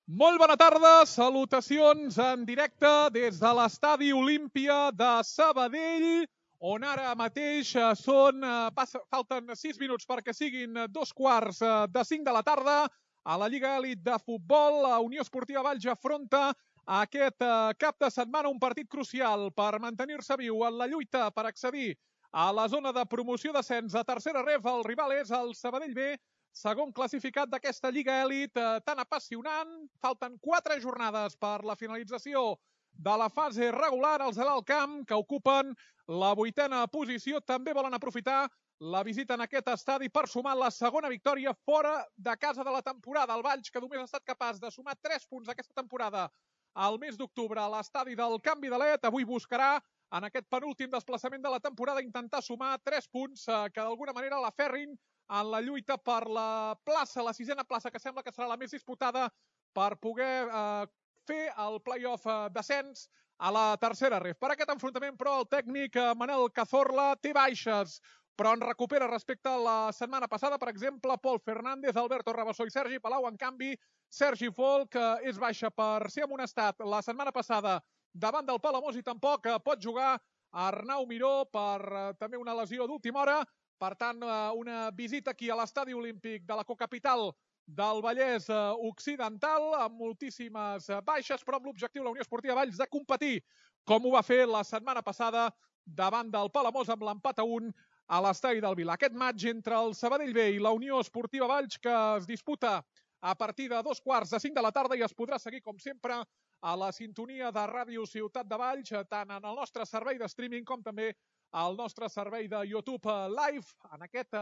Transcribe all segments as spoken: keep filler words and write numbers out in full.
Molt bona tarda, salutacions en directe des de l'Estadi Olímpia de Sabadell, on ara mateix són, passa, falten sis minuts perquè siguin dos quarts de cinc de la tarda. A la Lliga Elit de Futbol, la Unió Esportiva Valls afronta aquest cap de setmana un partit crucial per mantenir-se viu en la lluita per accedir a la zona de promoció-descens a tercera ref. El rival és el Sabadell B, segon classificat d'aquesta Lliga Elit tan apassionant. Falten quatre jornades per la finalització de la fase regular. Els de l'Alt Camp, que ocupen la vuitena posició, també volen aprofitar la visita en aquest estadi per sumar la segona victòria fora de casa de la temporada. El Valls, que només ha estat capaç de sumar tres punts aquesta temporada al mes d'octubre a l'estadi del Camp Vidalet, avui buscarà en aquest penúltim desplaçament de la temporada intentar sumar tres punts que d'alguna manera l'aferrin en la lluita per la plaça, la sisena plaça, que sembla que serà la més disputada per poder eh, fer el play-off eh, descens a la tercera ref. Per aquest enfrontament, però, el tècnic eh, Manel Cazorla té baixes, però en recupera respecte a la setmana passada. Per exemple, Pol Fernández, Alberto Rabassó i Sergi Palau. En canvi, Sergi Folk eh, és baixa per ser amonestat la setmana passada davant del Palamós i tampoc eh, pot jugar Arnau Miró per eh, també una lesió d'última hora. Per tant, una visita aquí a l'Estadi Olímpic de la cocapital del Vallès Occidental, amb moltíssimes baixes, però amb l'objectiu la Unió Esportiva Valls de competir, com ho va fer la setmana passada davant del Palamós amb l'empat a un a l'estadi del Vila. Aquest matx entre el Sabadell B i la Unió Esportiva Valls, que es disputa a partir de dos quarts de cinc de la tarda i es podrà seguir, com sempre, a la sintonia de Ràdio Ciutat de Valls, tant en el nostre servei de streaming com també al nostre servei de YouTube Live, en aquest,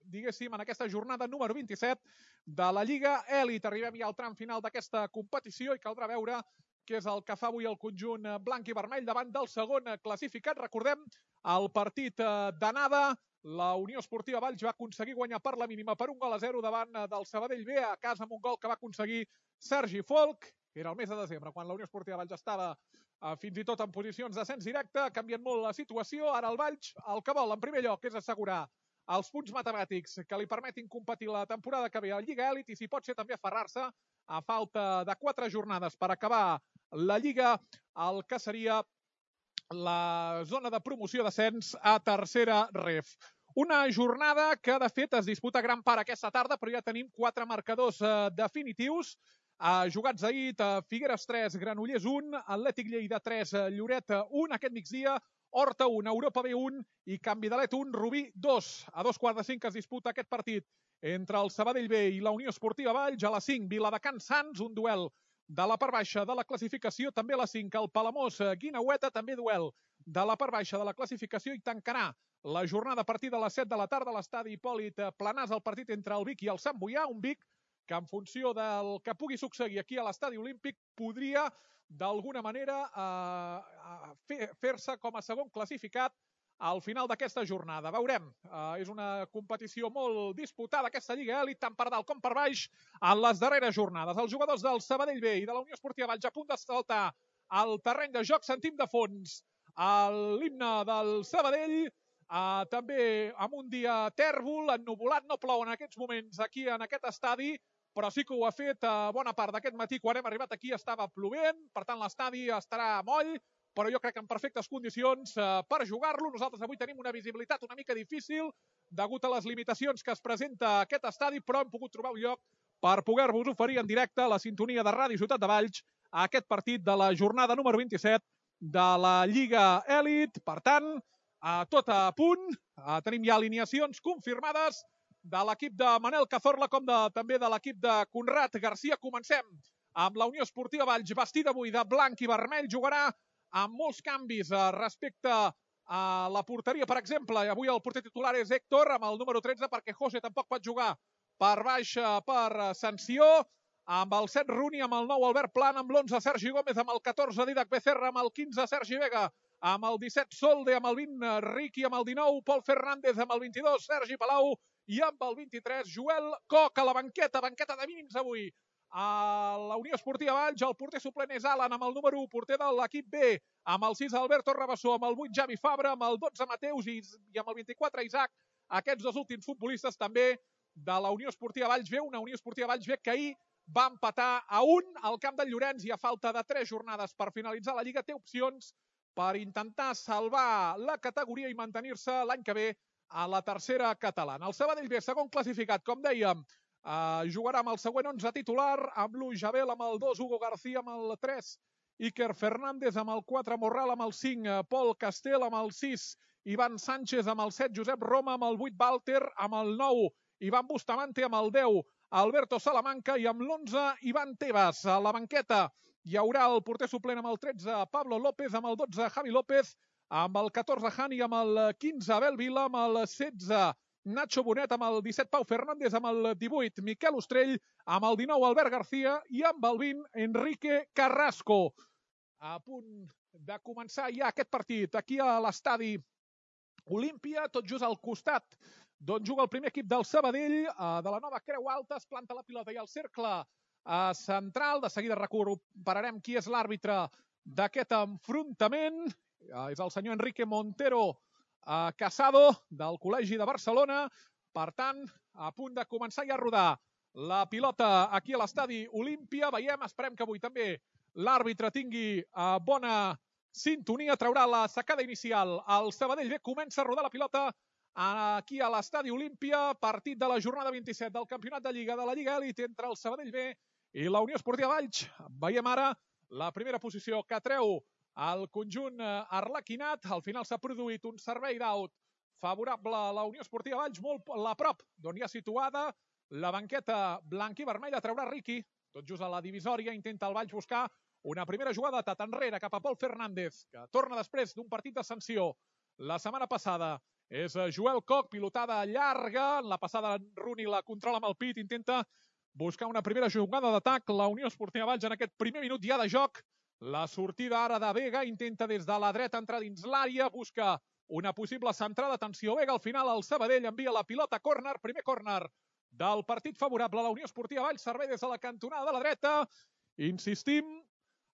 diguéssim, en aquesta jornada número vint-i-set de la Lliga Elit. Arribem ja al tram final d'aquesta competició i caldrà veure què és el que fa avui el conjunt blanc i vermell davant del segon classificat. Recordem, el partit d'anada, la Unió Esportiva Valls va aconseguir guanyar per la mínima per un gol a zero davant del Sabadell B, a casa amb un gol que va aconseguir Sergi Folk. Era el mes de desembre, quan la Unió Esportiva Valls estava eh, fins i tot en posicions d'ascens directe. Ha canviat molt la situació. Ara el Valls el que vol, en primer lloc, és assegurar els punts matemàtics que li permetin competir la temporada que ve a Lliga Elit i, si pot ser, també aferrar-se a falta de quatre jornades per acabar la Lliga, el que seria la zona de promoció-descens a tercera ref. Una jornada que, de fet, es disputa gran part aquesta tarda, però ja tenim quatre marcadors eh, definitius. Uh, jugats ahir, uh, Figueres tres, Granollers un, Atlètic Lleida tres, uh, Lloret un, aquest migdia, Horta un, Europa B un i Can Vidalet un, Rubí dos. A dos quarts de cinc es disputa aquest partit entre el Sabadell B i la Unió Esportiva Valls. A les cinc, Viladecans Sants, un duel de la part baixa de la classificació. També a les cinc, el Palamós Guineueta, també duel de la part baixa de la classificació, i tancarà la jornada a partir de les set de la tarda a l'estadi Hipòlit Planàs, el partit entre el Vic i el Sant Boià, un Vic que en funció del que pugui succeir aquí a l'Estadi Olímpic podria d'alguna manera eh, fer-se com a segon classificat al final d'aquesta jornada. Veurem, eh, és una competició molt disputada aquesta Lliga Elit, tant per dalt com per baix en les darreres jornades. Els jugadors del Sabadell B i de la Unió Esportiva Valls a punt de saltar al terreny de joc. Sentim de fons l'himne del Sabadell, eh, també amb un dia tèrbol, ennuvolat, no plou en aquests moments aquí en aquest estadi, però sí que ho ha fet a bona part d'aquest matí. Quan hem arribat aquí estava plovent, per tant l'estadi estarà moll, però jo crec que en perfectes condicions eh, per jugar-lo. Nosaltres avui tenim una visibilitat una mica difícil degut a les limitacions que es presenta a aquest estadi, però hem pogut trobar un lloc per poder-vos oferir en directe la sintonia de Ràdio Ciutat de Valls a aquest partit de la jornada número vint-i-set de la Lliga Elit. Per tant, eh, tot a punt, eh, tenim ja alineacions confirmades de l'equip de Manel Cazorla com de, també de l'equip de Conrad Garcia. Comencem amb la Unió Esportiva Valls, vestida avui de blanc i vermell. Jugarà amb molts canvis eh, respecte a la porteria, per exemple. Avui el porter titular és Héctor, amb el número tretze, perquè José tampoc pot jugar per baix per sanció. Amb el set, Runi, amb el nou, Albert Plan, amb l'onze, Sergi Gómez, amb el catorze, Didac Becerra, amb el quinze, Sergi Vega, amb el disset, Solde, amb el vint, Riqui, amb el dinou, Pol Fernández, amb el vint-i-dos, Sergi Palau, i amb el vint-i-tres, Joel Coc a la banqueta, banqueta de mínims avui. A la Unió Esportiva Valls, el porter suplent és Alan, amb el número u, porter de l'equip B, amb el sis, Alberto Rabassó, amb el vuit, Javi Fabra, amb el dotze, Mateus, i, i amb el vint-i-quatre, Isaac. Aquests dos últims futbolistes també de la Unió Esportiva Valls B, una Unió Esportiva Valls B que ahir va empatar a un al camp del Llorenç i a falta de tres jornades per finalitzar la Lliga té opcions per intentar salvar la categoria i mantenir-se l'any que ve a la tercera catalana. El Sabadell B, segon classificat, com dèiem, eh, jugarà amb el següent onze titular, amb l'u Jabel, amb el dos Hugo García, amb el tres Iker Fernández, amb el quatre Morral, amb el cinc Pol Castel, amb el sis Ivan Sánchez, amb el set Josep Roma, amb el vuit Walter, amb el nou Ivan Bustamante, amb el deu Alberto Salamanca i amb l'onze Ivan Tebas. A la banqueta hi haurà el porter suplent amb el tretze Pablo López, amb el dotze Javi López, amb el catorze Hani, amb el quinze Abel Vila, amb el setze Nacho Bonet, amb el disset Pau Fernández, amb el divuit Miquel Ostrell, amb el dinou Albert García i amb el vint Enrique Carrasco. A punt de començar ja aquest partit aquí a l'estadi Olímpia, tot just al costat d'on juga el primer equip del Sabadell, de la nova Creu Alta, es planta la pilota i el cercle central. De seguida recuperarem qui és l'àrbitre d'aquest enfrontament. És el senyor Enrique Montero Casado, del Col·legi de Barcelona. Per tant, a punt de començar ja a rodar la pilota aquí a l'estadi Olímpia. Veiem, esperem que avui també l'àrbitre tingui bona sintonia, traurà la sacada inicial. El Sabadell B comença a rodar la pilota aquí a l'estadi Olímpia, partit de la jornada vint-i-set del Campionat de Lliga de la Lliga Elite entre el Sabadell B i la Unió Esportiva Valls. Veiem ara la primera posició que treu el conjunt arlequinat. Al final s'ha produït un servei d'aut favorable a la Unió Esportiva Valls, molt a prop d'on hi ha situada la banqueta blanc i vermella. Traurà Riqui, tot just a la divisòria, intenta el Valls buscar una primera jugada de tat enrere cap a Pol Fernández, que torna després d'un partit de sanció la setmana passada. És Joel Koch, pilotada llarga. En la passada Rooney la controla amb el pit, intenta buscar una primera jugada d'atac. La Unió Esportiva Valls en aquest primer minut ja de joc. La sortida ara de Vega, intenta des de la dreta entrar dins l'àrea, busca una possible centrada. Atenció, Vega, al final el Sabadell envia la pilota a córner, primer córner del partit favorable a la Unió Esportiva Valls. Servei des de la cantonada de la dreta. Insistim,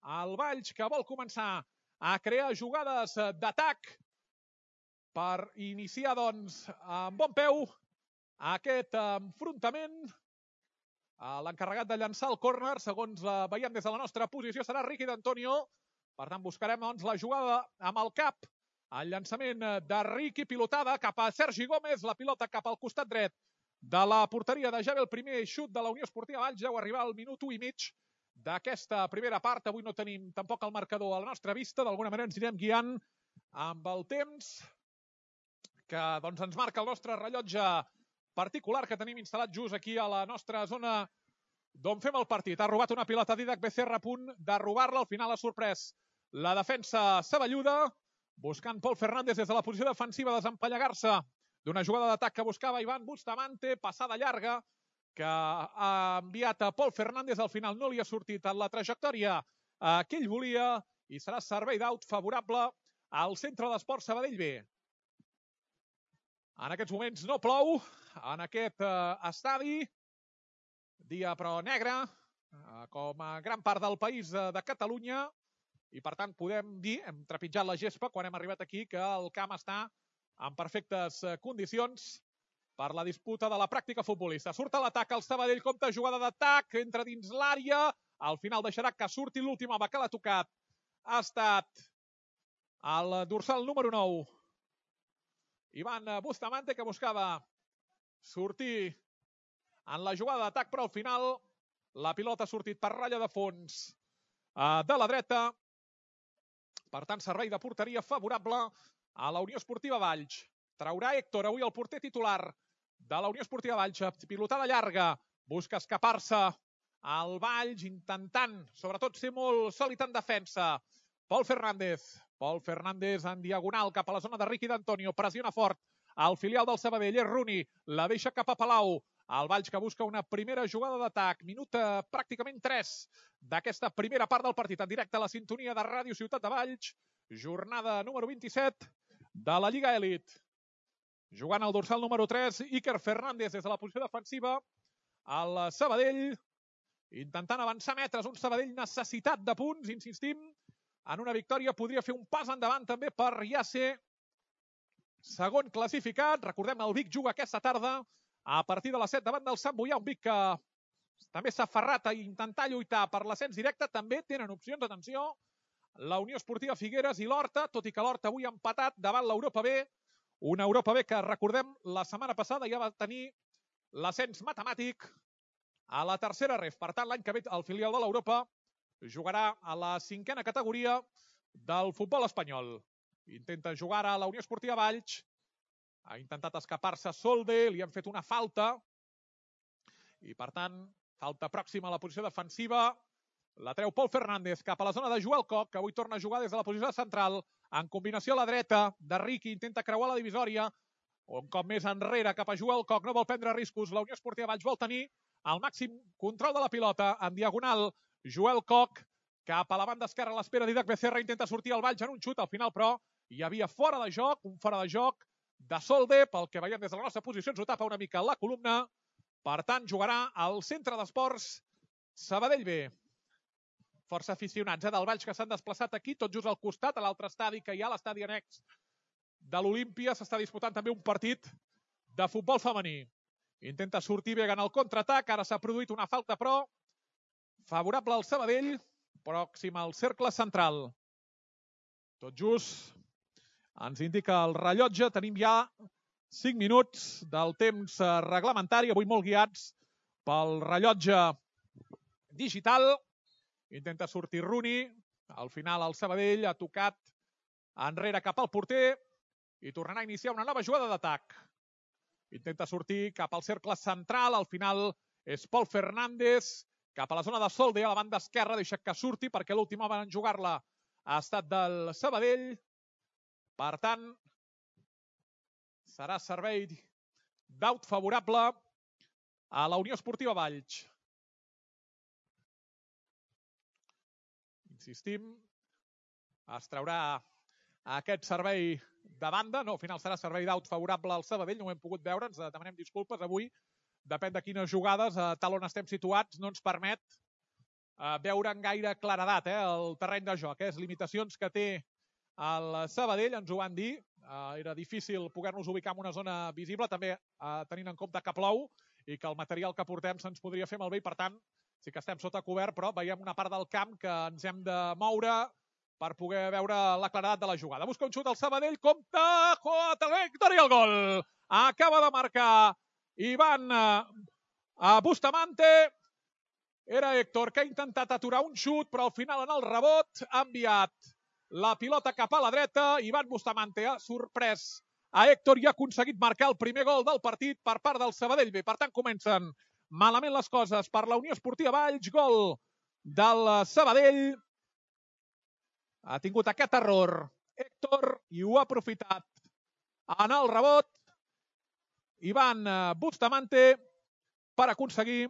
el Valls que vol començar a crear jugades d'atac per iniciar, doncs, amb bon peu aquest enfrontament. L'encarregat de llançar el córner, segons veiem des de la nostra posició, serà Riqui d'Antonio. Per tant, buscarem, doncs, la jugada amb el cap. El llançament de Riqui, pilotada cap a Sergi Gómez, la pilota cap al costat dret de la porteria de Javi. El primer xut de la Unió Esportiva Valls, ja ho arriba al minut u i mig d'aquesta primera part. Avui no tenim tampoc el marcador a la nostra vista, d'alguna manera ens anirem guiant amb el temps que doncs, ens marca el nostre rellotge particular que tenim instal·lat just aquí a la nostra zona d'on fem el partit. Ha robat una pilota Didac Becerra, a punt de robar-la. Al final ha sorprès la defensa saballuda, buscant Pol Fernández des de la posició defensiva desempallegar-se d'una jugada d'atac que buscava Ivan Bustamante, passada llarga que ha enviat a Pol Fernández. Al final no li ha sortit en la trajectòria que ell volia i serà servei d'aut favorable al Centre d'Esports Sabadell B. En aquests moments no plou en aquest estadi, dia però negre, com a gran part del país de Catalunya, i per tant podem dir, hem trepitjat la gespa quan hem arribat aquí, que el camp està en perfectes condicions per la disputa de la pràctica futbolista. Surt a l'atac el Sabadell, compta jugada d'atac, entra dins l'àrea, al final deixarà que surti l'últim home que l'ha tocat. Ha estat el dorsal número nou, Ivan Bustamante, que buscava sortir en la jugada d'atac, però al final la pilota ha sortit per ratlla de fons de la dreta. Per tant, servei de porteria favorable a la Unió Esportiva Valls. Traurà Héctor, avui el porter titular de la Unió Esportiva Valls. Pilotada llarga, busca escapar-se al Valls, intentant, sobretot, ser molt sòlid en defensa. Pol Fernández. Pol Fernández en diagonal cap a la zona de Riqui d'Antonio. Pressiona fort el filial del Sabadell. És Rooney. La deixa cap a Palau. El Valls que busca una primera jugada d'atac. Minut pràcticament tres d'aquesta primera part del partit. En directe a la sintonia de Ràdio Ciutat de Valls. Jornada número vint-i-set de la Lliga Elite. Jugant al dorsal número tres, Iker Fernández des de la posició defensiva. El Sabadell intentant avançar metres. Un Sabadell necessitat de punts, insistim. En una victòria podria fer un pas endavant també per ja ser segon classificat. Recordem, el Vic juga aquesta tarda a partir de les set davant del Sant Boià. Un Vic que també s'ha aferrat a intentar lluitar per l'ascens directe. També tenen opcions, atenció, la Unió Esportiva Figueres i l'Horta, tot i que l'Horta avui ha empatat davant l'Europa B. Una Europa B que, recordem, la setmana passada ja va tenir l'ascens matemàtic a la tercera ref. Per tant, l'any que ve el filial de l'Europa jugarà a la cinquena categoria del futbol espanyol. Intenta jugar a la Unió Esportiva Valls. Ha intentat escapar-se Solde, li han fet una falta. I, per tant, falta pròxima a la posició defensiva. La treu Pol Fernández cap a la zona de Joel Coc, que avui torna a jugar des de la posició central. En combinació a la dreta de Riqui, intenta creuar la divisòria. Un cop més enrere cap a Joel Coc, no vol prendre riscos. La Unió Esportiva Valls vol tenir el màxim control de la pilota. En diagonal, Joel Coc, cap a la banda esquerra a l'espera d'Idac Becerra, intenta sortir al Valls en un xut. Al final, però, hi havia fora de joc, un fora de joc de Solde, pel que veiem des de la nostra posició, ens ho tapa una mica la columna. Per tant, jugarà al centre d'esports Sabadell B. Força aficionats eh, del Valls que s'han desplaçat aquí, tot just al costat, a l'altre estadi que hi ha, l'estadi annex de l'Olímpia. S'està disputant també un partit de futbol femení. Intenta sortir bé en el contraatac, ara s'ha produït una falta, però favorable al Sabadell, pròxim al cercle central. Tot just ens indica el rellotge, tenim ja cinc minuts del temps reglamentari, avui molt guiats pel rellotge digital. Intenta sortir Rooney, al final el Sabadell ha tocat enrere cap al porter i tornarà a iniciar una nova jugada d'atac. Intenta sortir cap al cercle central, al final és Pol Fernández, cap a la zona de Solde, a la banda esquerra, deixa que surti perquè l'última hora en jugar-la ha estat del Sabadell. Per tant, serà servei d'aut favorable a la Unió Esportiva Valls. Insistim, es traurà aquest servei de banda. No, al final serà servei d'aut favorable al Sabadell, no ho hem pogut veure, ens demanem disculpes avui. Depèn de quines jugades, a tal on estem situats, no ens permet veure en gaire claredat el terreny de joc. Les limitacions que té el Sabadell, ens ho van dir, era difícil poder-nos ubicar en una zona visible, també tenint en compte que plou i que el material que portem se'ns podria fer malbé i, per tant, sí que estem sota cobert, però veiem una part del camp que ens hem de moure per poder veure la claredat de la jugada. Busca un xut al Sabadell, compta, jota, Héctor i el gol! Acaba de marcar Ivan Bustamante. Era Héctor que ha intentat aturar un xut, però al final en el rebot ha enviat la pilota cap a la dreta. Ivan Bustamante ha sorprès a Héctor i ha aconseguit marcar el primer gol del partit per part del Sabadell B. Per tant, comencen malament les coses per la Unió Esportiva Valls. Gol del Sabadell. Ha tingut aquest error Héctor i ho ha aprofitat en el rebot Ivan Bustamante per aconseguir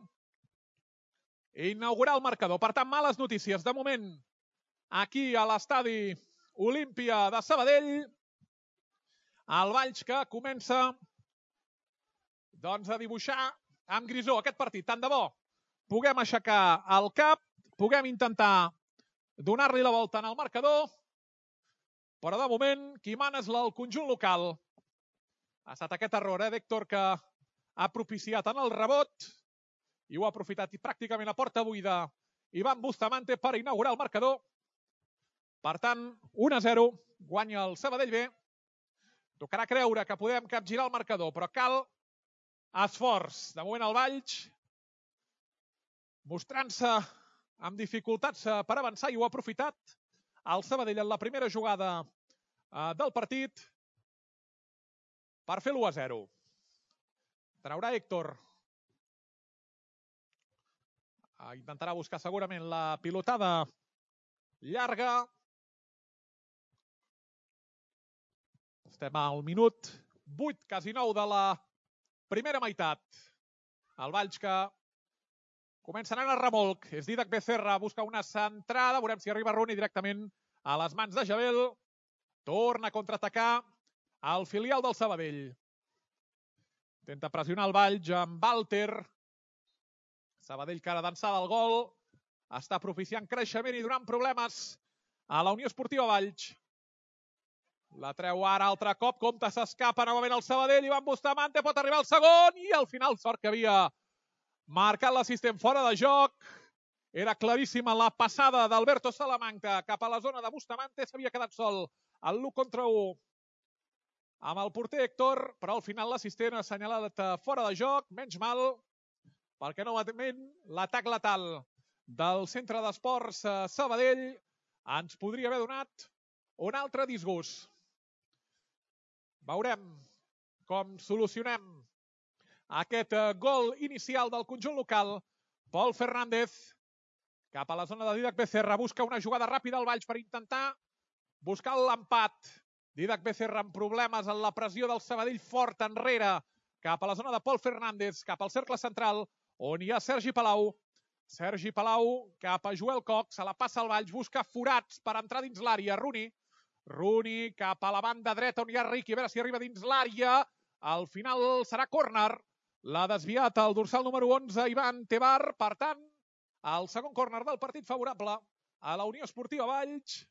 inaugurar el marcador. Per tant, males notícies. De moment, aquí a l'estadi Olímpia de Sabadell, el Valls que comença doncs, a dibuixar amb grisó aquest partit. Tant de bo puguem aixecar el cap, puguem intentar donar-li la volta en el marcador, però de moment qui mana és el conjunt local. Ha estat aquest error eh, d'Héctor que ha propiciat en el rebot i ho ha aprofitat pràcticament a porta buida Ivan Bustamante per inaugurar el marcador. Per tant, un a zero, guanya el Sabadell B. Tocarà creure que podem capgirar el marcador, però cal esforç. De moment el Valls mostrant-se amb dificultats per avançar i ho ha aprofitat el Sabadell en la primera jugada del partit per fer l'u a zero. Traurà Héctor. Intentarà buscar segurament la pilotada llarga. Estem al minut vuit, quasi nou de la primera meitat. El Valls que comença anant a remolc. És Didac Becerra, busca una centrada. Veurem si arriba Rooney directament a les mans de Jabel. Torna a contraatacar el filial del Sabadell. Intenta pressionar el Valls amb Walter. Sabadell que ara d'ençada el gol. Està propiciant creixement i donant problemes a la Unió Esportiva Valls. La treu ara altre cop. Compte, s'escapa novament el Sabadell. Ivan Bustamante pot arribar al segon i al final sort que havia marcat l'assistent fora de joc. Era claríssima la passada d'Alberto Salamanca cap a la zona de Bustamante. S'havia quedat sol el l'u contra u amb el porter Héctor, però al final l'assistent ha assenyalat fora de joc. Menys mal, perquè novament l'atac letal del centre d'esports Sabadell ens podria haver donat un altre disgust. Veurem com solucionem aquest gol inicial del conjunt local. Pol Fernández cap a la zona de Dídac Becerra. Busca una jugada ràpida al Valls per intentar buscar l'empat. Dídac Becerra amb problemes en la pressió del Sabadell, fort enrere cap a la zona de Pol Fernández, cap al cercle central on hi ha Sergi Palau. Sergi Palau cap a Joel Cox, se la passa al Valls, busca forats per entrar dins l'àrea. Rooney, Rooney cap a la banda dreta on hi ha Riqui, a veure si arriba dins l'àrea. Al final serà córner. L'ha desviat el dorsal número onze, Ivan Tebar. Per tant, el segon córner del partit favorable a la Unió Esportiva Valls.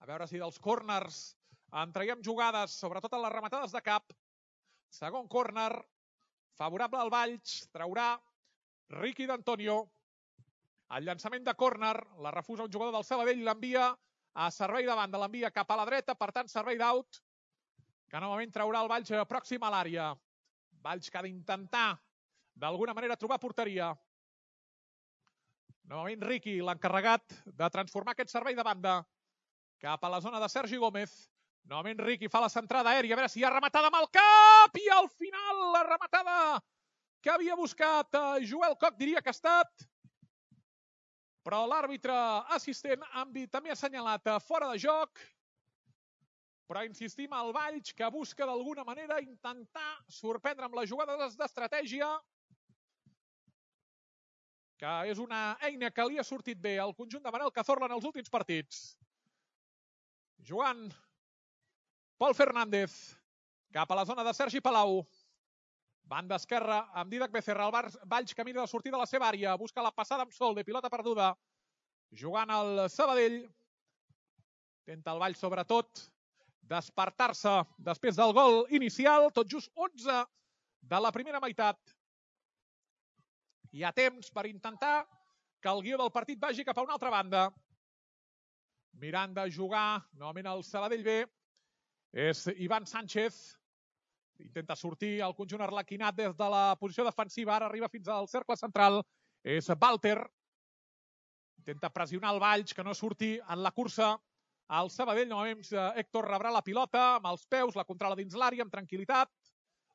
A veure si dels córners en traiem jugades, sobretot en les rematades de cap. Segon córner favorable al Valls. Traurà Riqui d'Antonio. El llançament de córner la refusa un jugador del Sabadell, l'envia a servei de banda, l'envia cap a la dreta, per tant servei d'aut, que novament traurà el Valls pròxim a l'àrea. Valls que ha d'intentar d'alguna manera trobar porteria. Novament Riqui, l'encarregat de transformar aquest servei de banda cap a la zona de Sergi Gómez. Novament Riqui fa la centrada aèria, a veure si hi ha rematada amb el cap, i al final la rematada que havia buscat Joel Cox, diria que ha estat, però l'àrbitre assistent també ha assenyalat fora de joc. Però insistim, el Valls que busca d'alguna manera intentar sorprendre amb les jugades d'estratègia, que és una eina que li ha sortit bé al conjunt de Manel Cazorla en els últims partits. Jugant Pol Fernández cap a la zona de Sergi Palau. Banda esquerra amb Dídac Becerra. El Valls camina de sortida a la seva àrea. Busca la passada amb Solde, pilota perduda. Jugant el Sabadell. Intenta el Valls sobretot despertar-se després del gol inicial. Tot just onze de la primera meitat. Hi ha temps per intentar que el guió del partit vagi cap a una altra banda. Mirant de jugar novament el Sabadell B és Ivan Sánchez. Intenta sortir el conjunt arlequinat des de la posició defensiva. Ara arriba fins al cercle central. És Walter. Intenta pressionar el Valls, que no surti en la cursa. El Sabadell, novament Héctor rebrà la pilota amb els peus, la controla dins l'àrea amb tranquil·litat.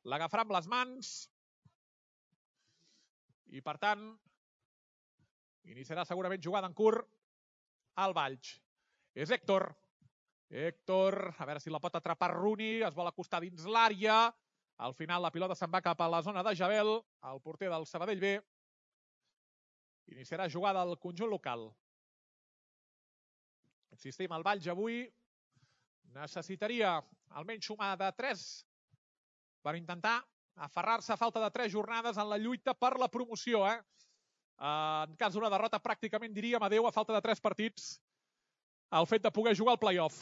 L'agafarà amb les mans. I per tant, iniciarà segurament jugada en curt al Valls. És Héctor. Héctor, a veure si la pot atrapar Rooney, es vol acostar dins l'àrea. Al final la pilota se'n va cap a la zona de Jabel, el porter del Sabadell B. Iniciarà jugada al conjunt local. Insistim, el Valls avui necessitaria almenys sumar de tres per intentar aferrar-se a falta de tres jornades en la lluita per la promoció. Eh? En cas d'una derrota pràcticament diríem adeu a falta de tres partits el fet de poder jugar al play-off.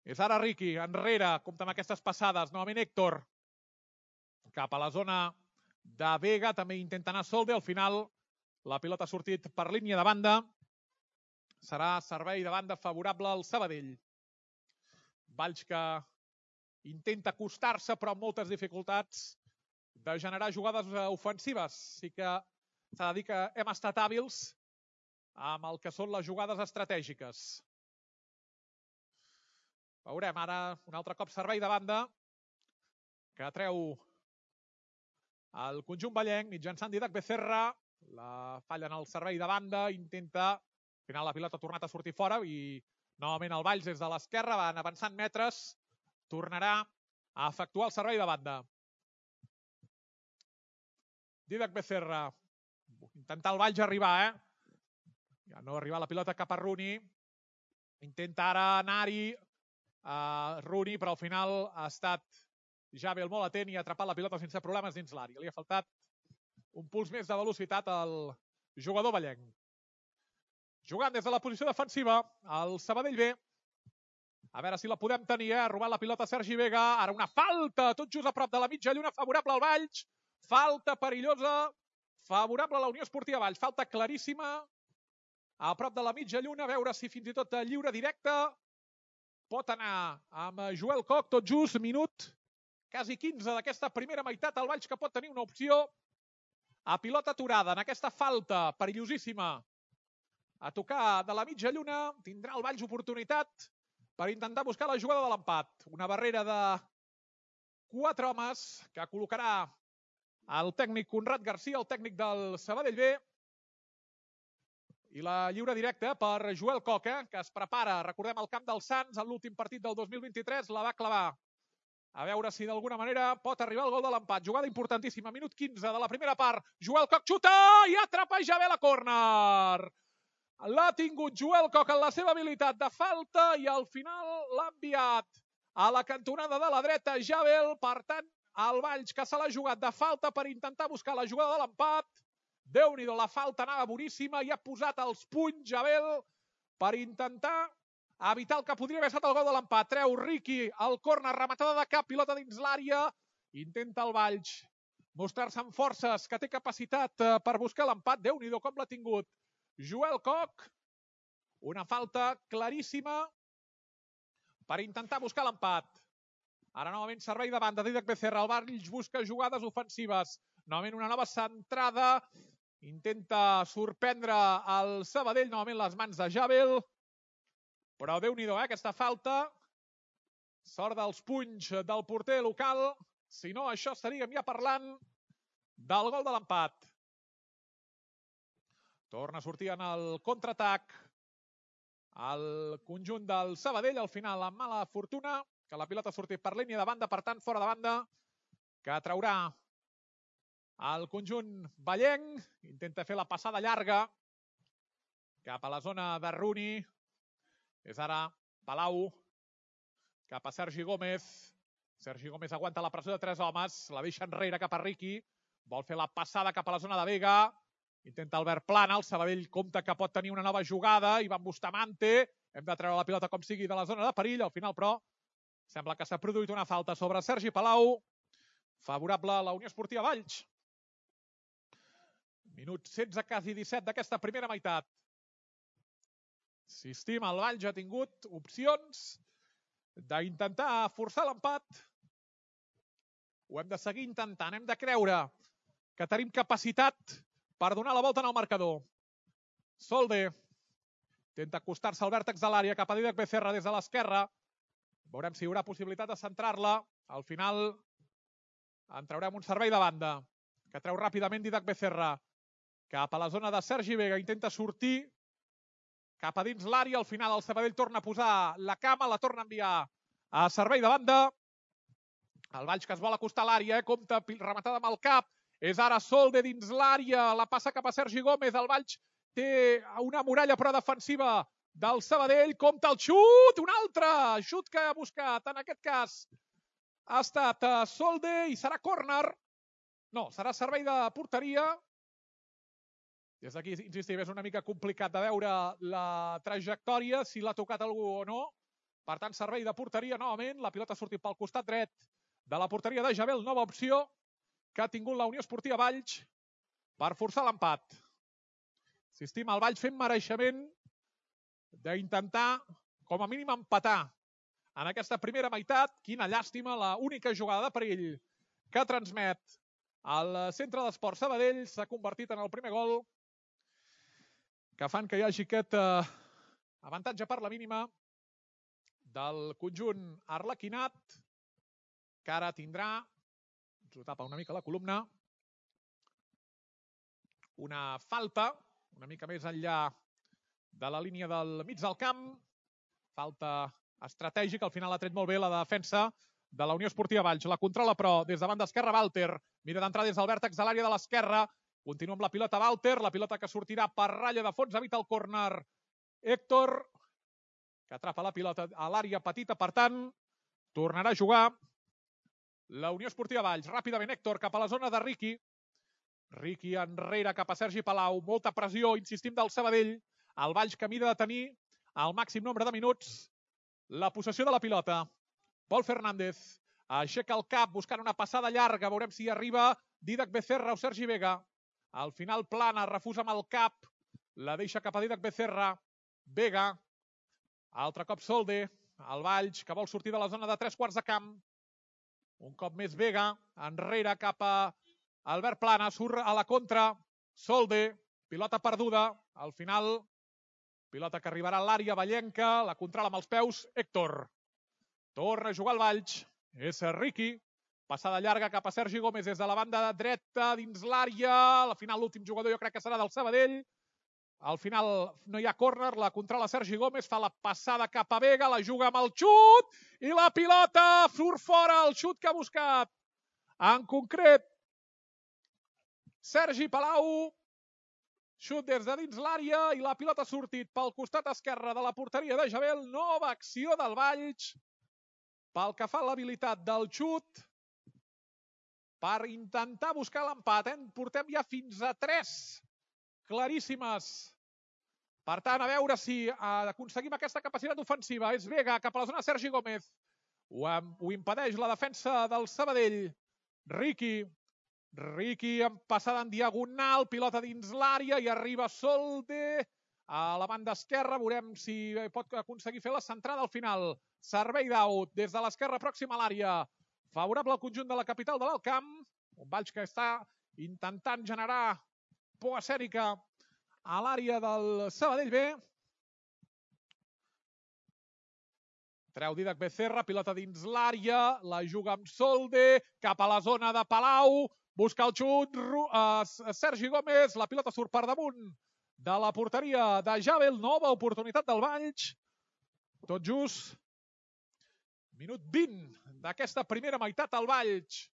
És ara Riqui, enrere, compta amb aquestes passades. Novament Héctor. Cap a la zona de Vega, també intenta anar Solde. Al final la pilota ha sortit per línia de banda. Serà servei de banda favorable al Sabadell. Valls que intenta acostar-se, però amb moltes dificultats de generar jugades ofensives. Sí que s'ha de dir que hem estat hàbils amb el que són les jugades estratègiques. Veurem ara un altre cop servei de banda que treu el conjunt vallenc mitjançant Dídac Becerra. La falla en el servei de banda, intenta, al final la pilota ha tornat a sortir fora i novament el Valls des de l'esquerra, van avançant metres, tornarà a efectuar el servei de banda. Dídac Becerra, intentar el Valls arribar, eh? Ja no arriba la pilota cap a Rooney. Intenta ara anar-hi a Rooney, però al final ha estat Jabel molt atent i ha atrapat la pilota sense problemes dins l'àrea. Li ha faltat un puls més de velocitat al jugador vallenc. Jugant des de la posició defensiva, el Sabadell B. A veure si la podem tenir, eh? Ha robat la pilota Sergi Vega. Ara una falta, tot just a prop de la mitja lluna, favorable al Valls. falta perillosa, favorable a la Unió Esportiva Valls, falta claríssima, a prop de la mitja lluna, a veure si fins i tot lliure directe pot anar amb Joel Koch, tot just, minut quasi quinze d'aquesta primera meitat, el Valls que pot tenir una opció a pilota aturada en aquesta falta perillosíssima a tocar de la mitja lluna, tindrà el Valls oportunitat per intentar buscar la jugada de l'empat. Una barrera de quatre homes que col·locarà el tècnic Conrad Garcia, el tècnic del Sabadell B. I la lliure directa per Joel Koch, eh, que es prepara, recordem, al camp del Sants, en l'últim partit del dos mil vint-i-tres, la va clavar. A veure si d'alguna manera pot arribar el gol de l'empat. Jugada importantíssima, minut quinze de la primera part. Joel Koch xuta i atrapa Javel a córner. L'ha tingut Joel Koch en la seva habilitat de falta i al final l'ha enviat a la cantonada de la dreta Javel. Per tant, el Valls que se l'ha jugat de falta per intentar buscar la jugada de l'empat. Déu-n'hi-do, la falta anava boníssima i ha posat els punys Javel per intentar evitar el que podria haver estat el gol de l'empat. Treu Riqui el córner, rematada de cap, pilota dins l'àrea. Intenta el Valls mostrar-se amb forces, que té capacitat per buscar l'empat. Déu-n'hi-do com l'ha tingut Joel Koch. Una falta claríssima per intentar buscar l'empat. Ara novament servei de banda d'Idac Becerra. El Valls busca jugades ofensives. Novament una nova centrada. Intenta sorprendre el Sabadell. Novament les mans de Javel. Però Déu-n'hi-do, eh, aquesta falta. Sort dels punys del porter local. Si no, això estaríem ja parlant del gol de l'empat. Torna a sortir en el contraatac el conjunt del Sabadell. Al final, amb mala fortuna, que la pilota ha sortit per línia de banda, per tant, fora de banda, que traurà el conjunt vallenc. Intenta fer la passada llarga cap a la zona de Rooney. És ara Palau cap a Sergi Gómez. Sergi Gómez aguanta la pressió de tres homes. La deixa enrere cap a Riqui. Vol fer la passada cap a la zona de Vega. Intenta Albert Plana. El Sabadell compta que pot tenir una nova jugada. Ivan Bustamante. Hem de treure la pilota com sigui de la zona de perill. Al final, però, sembla que s'ha produït una falta sobre Sergi Palau. Favorable a la Unió Esportiva Valls. Minut setze, quasi disset d'aquesta primera meitat. Insistim, el Valls ha tingut opcions d'intentar forçar l'empat. Ho hem de seguir intentant. Hem de creure que tenim capacitat per donar la volta en el marcador. Solde intenta acostar-se al vèrtex de l'àrea cap a Didac Becerra des de l'esquerra. Veurem si hi haurà possibilitat de centrar-la. Al final en traurem un servei de banda que treu ràpidament Didac Becerra cap a la zona de Sergi Vega. Intenta sortir cap a dins l'àrea. Al final el Sabadell torna a posar la cama, la torna a enviar a servei de banda. El Valls que es vol acostar a l'àrea, eh? Compta rematada amb el cap. És ara Solde dins l'àrea. La passa cap a Sergi Gómez. El Valls té una muralla però defensiva del Sabadell. Compta el xut. Un altre xut que ha buscat. En aquest cas ha estat Solde i serà córner. No, serà servei de porteria. Des d'aquí, insistim, és una mica complicat de veure la trajectòria, si l'ha tocat algú o no. Per tant, servei de porteria novament. La pilota ha sortit pel costat dret de la porteria de Javel. Nova opció que ha tingut la Unió Esportiva Valls per forçar l'empat. Insistim, el Valls fent mereixement d'intentar, com a mínim, empatar en aquesta primera meitat. Quina llàstima, la única jugada de perill que transmet el Centre d'Esports Sabadell s'ha convertit en el primer gol que fan que hi hagi aquest eh, avantatge per la mínima del conjunt arlequinat, que ara tindrà, ens ho tapa una mica la columna, una falta, una mica més enllà de la línia del mig del camp, falta estratègica, al final ha tret molt bé la defensa de la Unió Esportiva Valls. La controla, però, des de banda esquerra, Walter. Mira d'entrar des del vèrtex de l'àrea de l'esquerra. Continua amb la pilota Walter, la pilota que sortirà per ratlla de fons, evita el córner Héctor, que atrapa la pilota a l'àrea petita, per tant, tornarà a jugar la Unió Esportiva Valls. Ràpidament Héctor cap a la zona de Riqui. Riqui enrere cap a Sergi Palau. Molta pressió, insistim, del Sabadell. El Valls que mira de tenir el màxim nombre de minuts la possessió de la pilota. Pol Fernández aixeca el cap buscant una passada llarga. Veurem si arriba. Didac Becerra o Sergi Vega. Al final plana, refusa amb el cap, la deixa cap a Didac Becerra. Vega, altre cop Solde, el Valls, que vol sortir de la zona de tres quarts de camp. Un cop més Vega, enrere cap a Albert Plana, surt a la contra, Solde, pilota perduda, al final, pilota que arribarà a l'àrea vallenca, la controla amb els peus, Héctor. Torna a jugar el Valls, és Riqui, passada llarga cap a Sergi Gómez des de la banda dreta dins l'àrea, al final l'últim jugador jo crec que serà del Sabadell. Al final no hi ha córner, la controla Sergi Gómez, fa la passada cap a Vega, la juga amb el xut i la pilota surt fora, el xut que ha buscat. En concret, Sergi Palau, xut des de dins l'àrea i la pilota ha sortit pel costat esquerre de la porteria de Jabel. Nova acció del Valls pel que fa a l'habilitat del xut per intentar buscar l'empat. En portem ja fins a tres claríssimes. Per tant, a veure si aconseguim aquesta capacitat ofensiva. És Vega cap a la zona de Sergi Gómez. Ho, ho impedeix la defensa del Sabadell. Riqui. Riqui en passada en diagonal. Pilota dins l'àrea i arriba Solde a la banda esquerra. Veurem si pot aconseguir fer la centrada al final. Servei d'out des de l'esquerra pròxima a l'àrea. Favorable al conjunt de la capital de l'Alt Camp. Un Valls que està intentant generar por escènica a l'àrea del Sabadell B. Treu Didac Becerra, pilota dins l'àrea, la juga amb Solde, cap a la zona de Palau, busca el xut, uh, Sergi Gómez, la pilota surt per damunt de la porteria de Jabel, nova oportunitat del Valls. Tot just minut vint d'aquesta primera meitat al Valls.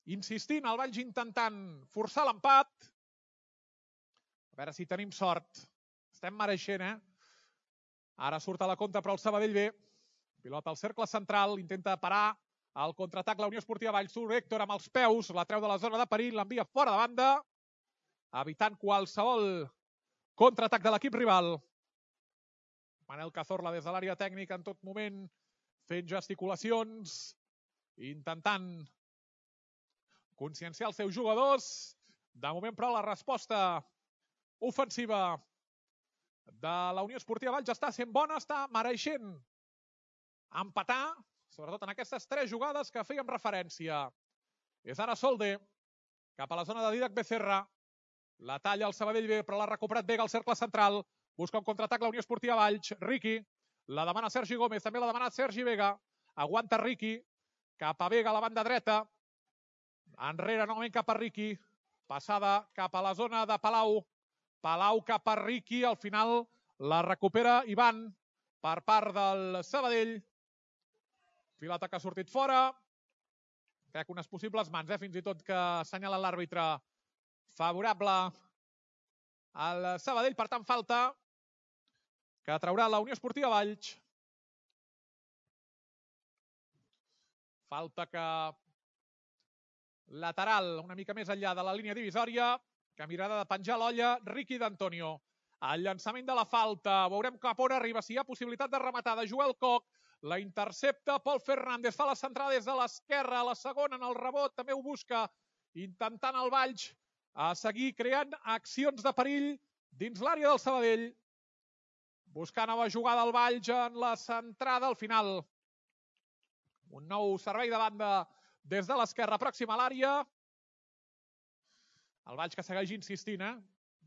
Insistint, el Valls intentant forçar l'empat. A veure si tenim sort. Estem mereixent, eh? Ara surt a la contra però el Sabadell B. Pilota al cercle central, intenta parar el contraatac la Unió Esportiva Valls. Surt Héctor amb els peus, la treu de la zona de perill, l'envia fora de banda, evitant qualsevol contraatac de l'equip rival. Manel Cazorla des de l'àrea tècnica en tot moment, fent gesticulacions, intentant conscienciar els seus jugadors. De moment, però, la resposta ofensiva de la Unió Esportiva Valls està sent bona, està mereixent empatar, sobretot en aquestes tres jugades que fèiem referència. És ara Solde, cap a la zona de Didac Becerra, la talla el Sabadell B, però l'ha recuperat Vega al cercle central, busca un contraatac la Unió Esportiva Valls, Riqui, la demana Sergi Gómez, també la demana Sergi Vega, aguanta Riqui, cap a Vega a la banda dreta, enrere novament cap a Riqui, passada cap a la zona de Palau, Palau cap a Riqui, al final la recupera Ivan per part del Sabadell. Pilota que ha sortit fora. Crec unes possibles mans, eh? Fins i tot que assenyala l'àrbitre favorable al Sabadell. Per tant, falta que traurà la Unió Esportiva Valls. Falta que lateral, una mica més enllà de la línia divisòria, que mirada de penjar l'olla, Riqui d'Antonio. El llançament de la falta, veurem cap on arriba, si hi ha possibilitat de rematar, de Joel Coc, la intercepta Pol Fernández, fa la centrada des de l'esquerra, a la segona en el rebot, també ho busca, intentant el Valls a seguir creant accions de perill dins l'àrea del Sabadell, buscant nova jugada al Valls en la centrada al final. Un nou servei de banda des de l'esquerra pròxima a l'àrea. El Valls que segueix insistint, eh?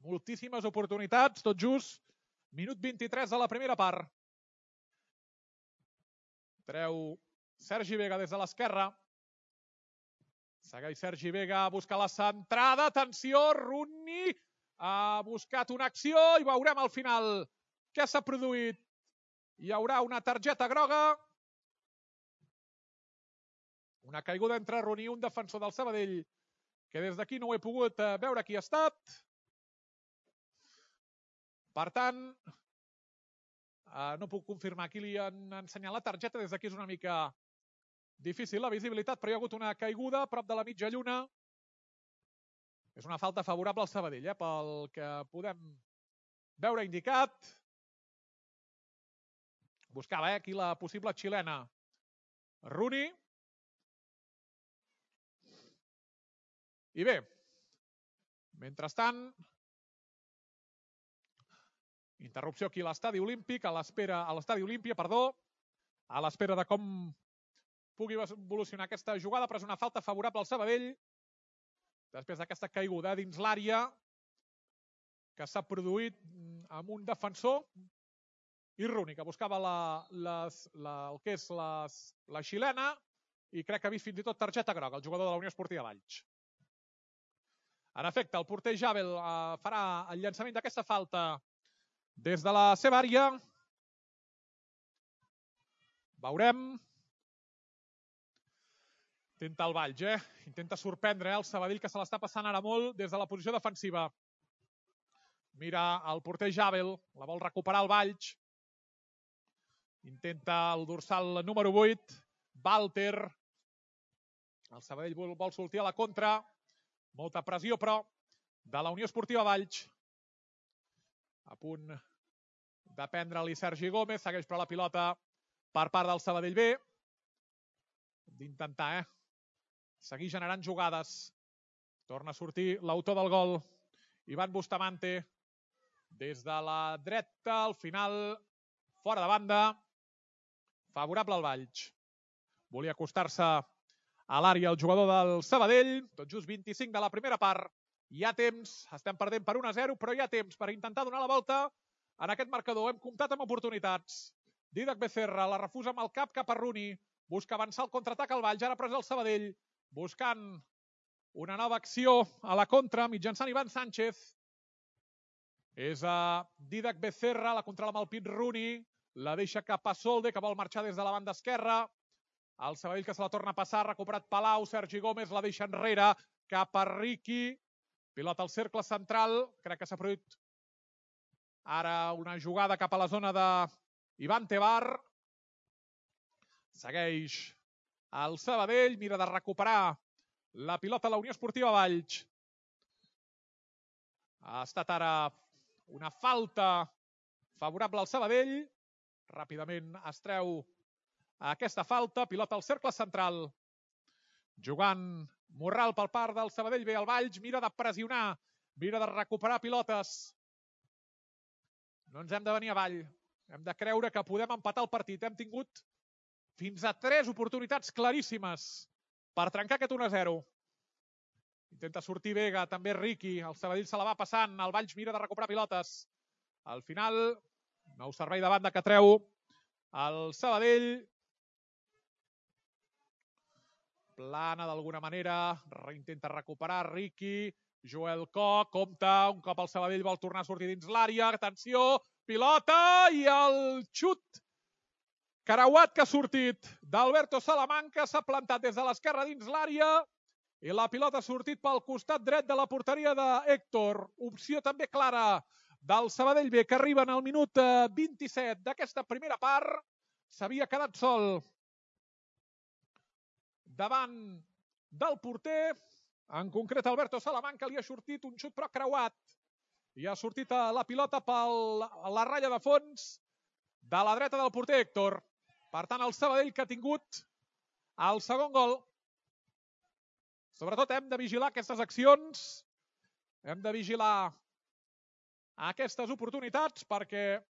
Moltíssimes oportunitats, tot just. Minut vint-i-tres de la primera part. Treu Sergi Vega des de l'esquerra. Segueix Sergi Vega, busca la centrada. Atenció, Rooney ha buscat una acció i veurem al final què s'ha produït. Hi haurà una targeta groga. Una caiguda entre Rooney, un defensor del Sabadell, que des d'aquí no ho he pogut veure qui ha estat. Per tant, no puc confirmar qui li han ensenyat la targeta. Des d'aquí és una mica difícil la visibilitat, però hi ha hagut una caiguda a prop de la mitja lluna. És una falta favorable al Sabadell, eh, pel que podem veure indicat. Buscava eh, aquí la possible xilena. Rooney. I bé, mentrestant, interrupció aquí a l'estadi olímpic, a l'espera, a l'estadi Olímpia, perdó, a l'espera de com pugui evolucionar aquesta jugada, però és una falta favorable al Sabadell, després d'aquesta caiguda dins l'àrea que s'ha produït amb un defensor Irruni, que buscava la, les, la, el que és les, la xilena i crec que ha vist fins i tot targeta groga, el jugador de la Unió Esportiva Valls. En efecte, el porter Jabel eh, farà el llançament d'aquesta falta des de la seva àrea. Veurem. Intenta el Valls, eh? Intenta sorprendre eh? el Sabadell, que se l'està passant ara molt des de la posició defensiva. Mira el porter Jabel, la vol recuperar el Valls. Intenta el dorsal número vuit, Walter. El Sabadell vol, vol sortir a la contra. Molta pressió, però, de la Unió Esportiva Valls. A punt de prendre-li Sergi Gómez. Segueix però la pilota per part del Sabadell B. D'intentar, eh? Seguir generant jugades. Torna a sortir l'autor del gol, Ivan Bustamante. Des de la dreta, al final, fora de banda. Favorable al Valls. Volia acostar-se a l'àrea el jugador del Sabadell. Tot just vint-i-cinc de la primera part. Hi ha temps, estem perdent per un a zero, però hi ha temps per intentar donar la volta en aquest marcador. Hem comptat amb oportunitats. Dídac Becerra la refusa amb el cap cap a Rooney. Busca avançar el contraatac al Valls. Ara pres el Sabadell. Buscant una nova acció a la contra mitjançant Ivan Sánchez. És a Dídac Becerra, la controla amb el pit Rooney. La deixa cap a Solde, que vol marxar des de la banda esquerra. El Sabadell que se la torna a passar, recuperat Palau. Sergi Gómez la deixa enrere cap a Riqui. Pilota al cercle central. Crec que s'ha produït ara una jugada cap a la zona de Ivan Tebar. Segueix el Sabadell. Mira de recuperar la pilota a la Unió Esportiva Valls. Ha estat ara una falta favorable al Sabadell. Ràpidament es treu aquesta falta. Pilota al cercle central. Jugant Morral per part del Sabadell B. El Valls mira de pressionar. Mira de recuperar pilotes. No ens hem de venir avall. Hem de creure que podem empatar el partit. Hem tingut fins a tres oportunitats claríssimes per trencar aquest un a zero. Intenta sortir Vega, també Riqui. El Sabadell se la va passant. El Valls mira de recuperar pilotes. Al final, nou servei de banda que treu el Sabadell. Plana d'alguna manera. Intenta recuperar Riqui. Joel Koch, compta. Un cop el Sabadell vol tornar a sortir dins l'àrea. Atenció, pilota i el xut creuat que ha sortit d'Alberto Salamanca. S'ha plantat des de l'esquerra dins l'àrea. I la pilota ha sortit pel costat dret de la porteria d'Héctor. Opció també clara del Sabadell B, que arriba en el minut vint-i-set d'aquesta primera part. S'havia quedat sol davant del porter. En concret, Alberto Salamanca li ha sortit un xut però creuat. I ha sortit la pilota per la ratlla de fons de la dreta del porter Héctor. Per tant, el Sabadell que ha tingut el segon gol. Sobretot hem de vigilar aquestes accions. Hem de vigilar aquestes oportunitats perquè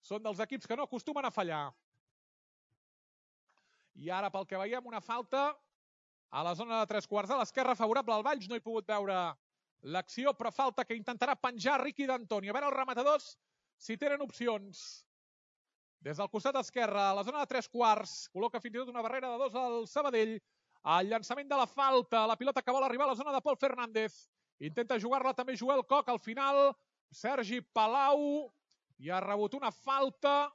són dels equips que no acostumen a fallar. I ara, pel que veiem, una falta a la zona de tres quarts de l'esquerra favorable al Valls. No he pogut veure l'acció, però falta que intentarà penjar Riqui d'Antoni. A veure els rematadors si tenen opcions. Des del costat esquerre, a la zona de tres quarts, col·loca fins i tot una barrera de dos al Sabadell. El llançament de la falta, la pilota que vol arribar a la zona de Pol Fernández. Intenta jugar-la també Joel Koch. Al final, Sergi Palau. I ha rebut una falta.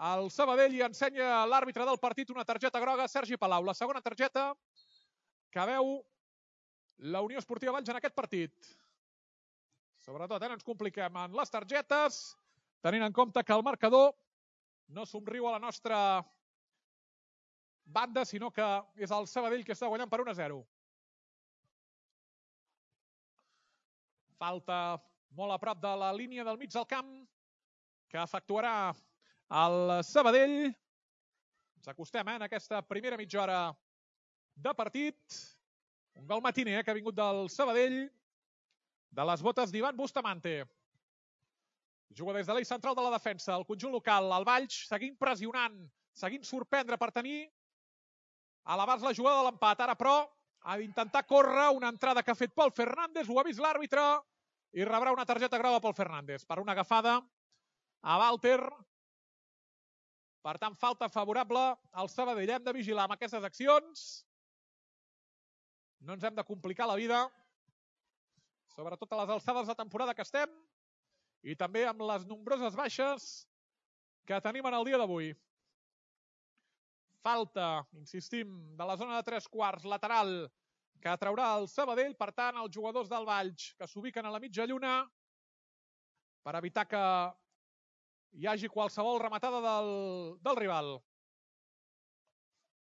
El Sabadell i ensenya l'àrbitre del partit una targeta groga, Sergi Palau. La segona targeta que veu la Unió Esportiva Valls en aquest partit. Sobretot, eh, no ens compliquem en les targetes, tenint en compte que el marcador no somriu a la nostra banda, sinó que és el Sabadell que està guanyant per un a zero. Falta molt a prop de la línia del mig del camp que efectuarà el Sabadell. Ens acostem eh, en aquesta primera mitja hora de partit. Un gol matiner, eh, que ha vingut del Sabadell, de les botes d'Ivan Bustamante. Juga des de l'eix central de la defensa, el conjunt local, el Valls, seguint pressionant, seguint sorprendre per tenir a l'abast la jugada de l'empat. Ara, però, ha d'intentar córrer una entrada que ha fet Pol Fernández, ho ha vist l'àrbitre, i rebrà una targeta groga Pol Fernández per una agafada a Walter. Per tant, falta favorable al Sabadell. Hem de vigilar amb aquestes accions. No ens hem de complicar la vida, sobretot a les alçades de temporada que estem, i també amb les nombroses baixes que tenim en el dia d'avui. Falta, insistim, de la zona de tres quarts, lateral, que traurà el Sabadell. Per tant, els jugadors del Valls, que s'ubiquen a la mitja lluna, per evitar que hi hagi qualsevol rematada del, del rival.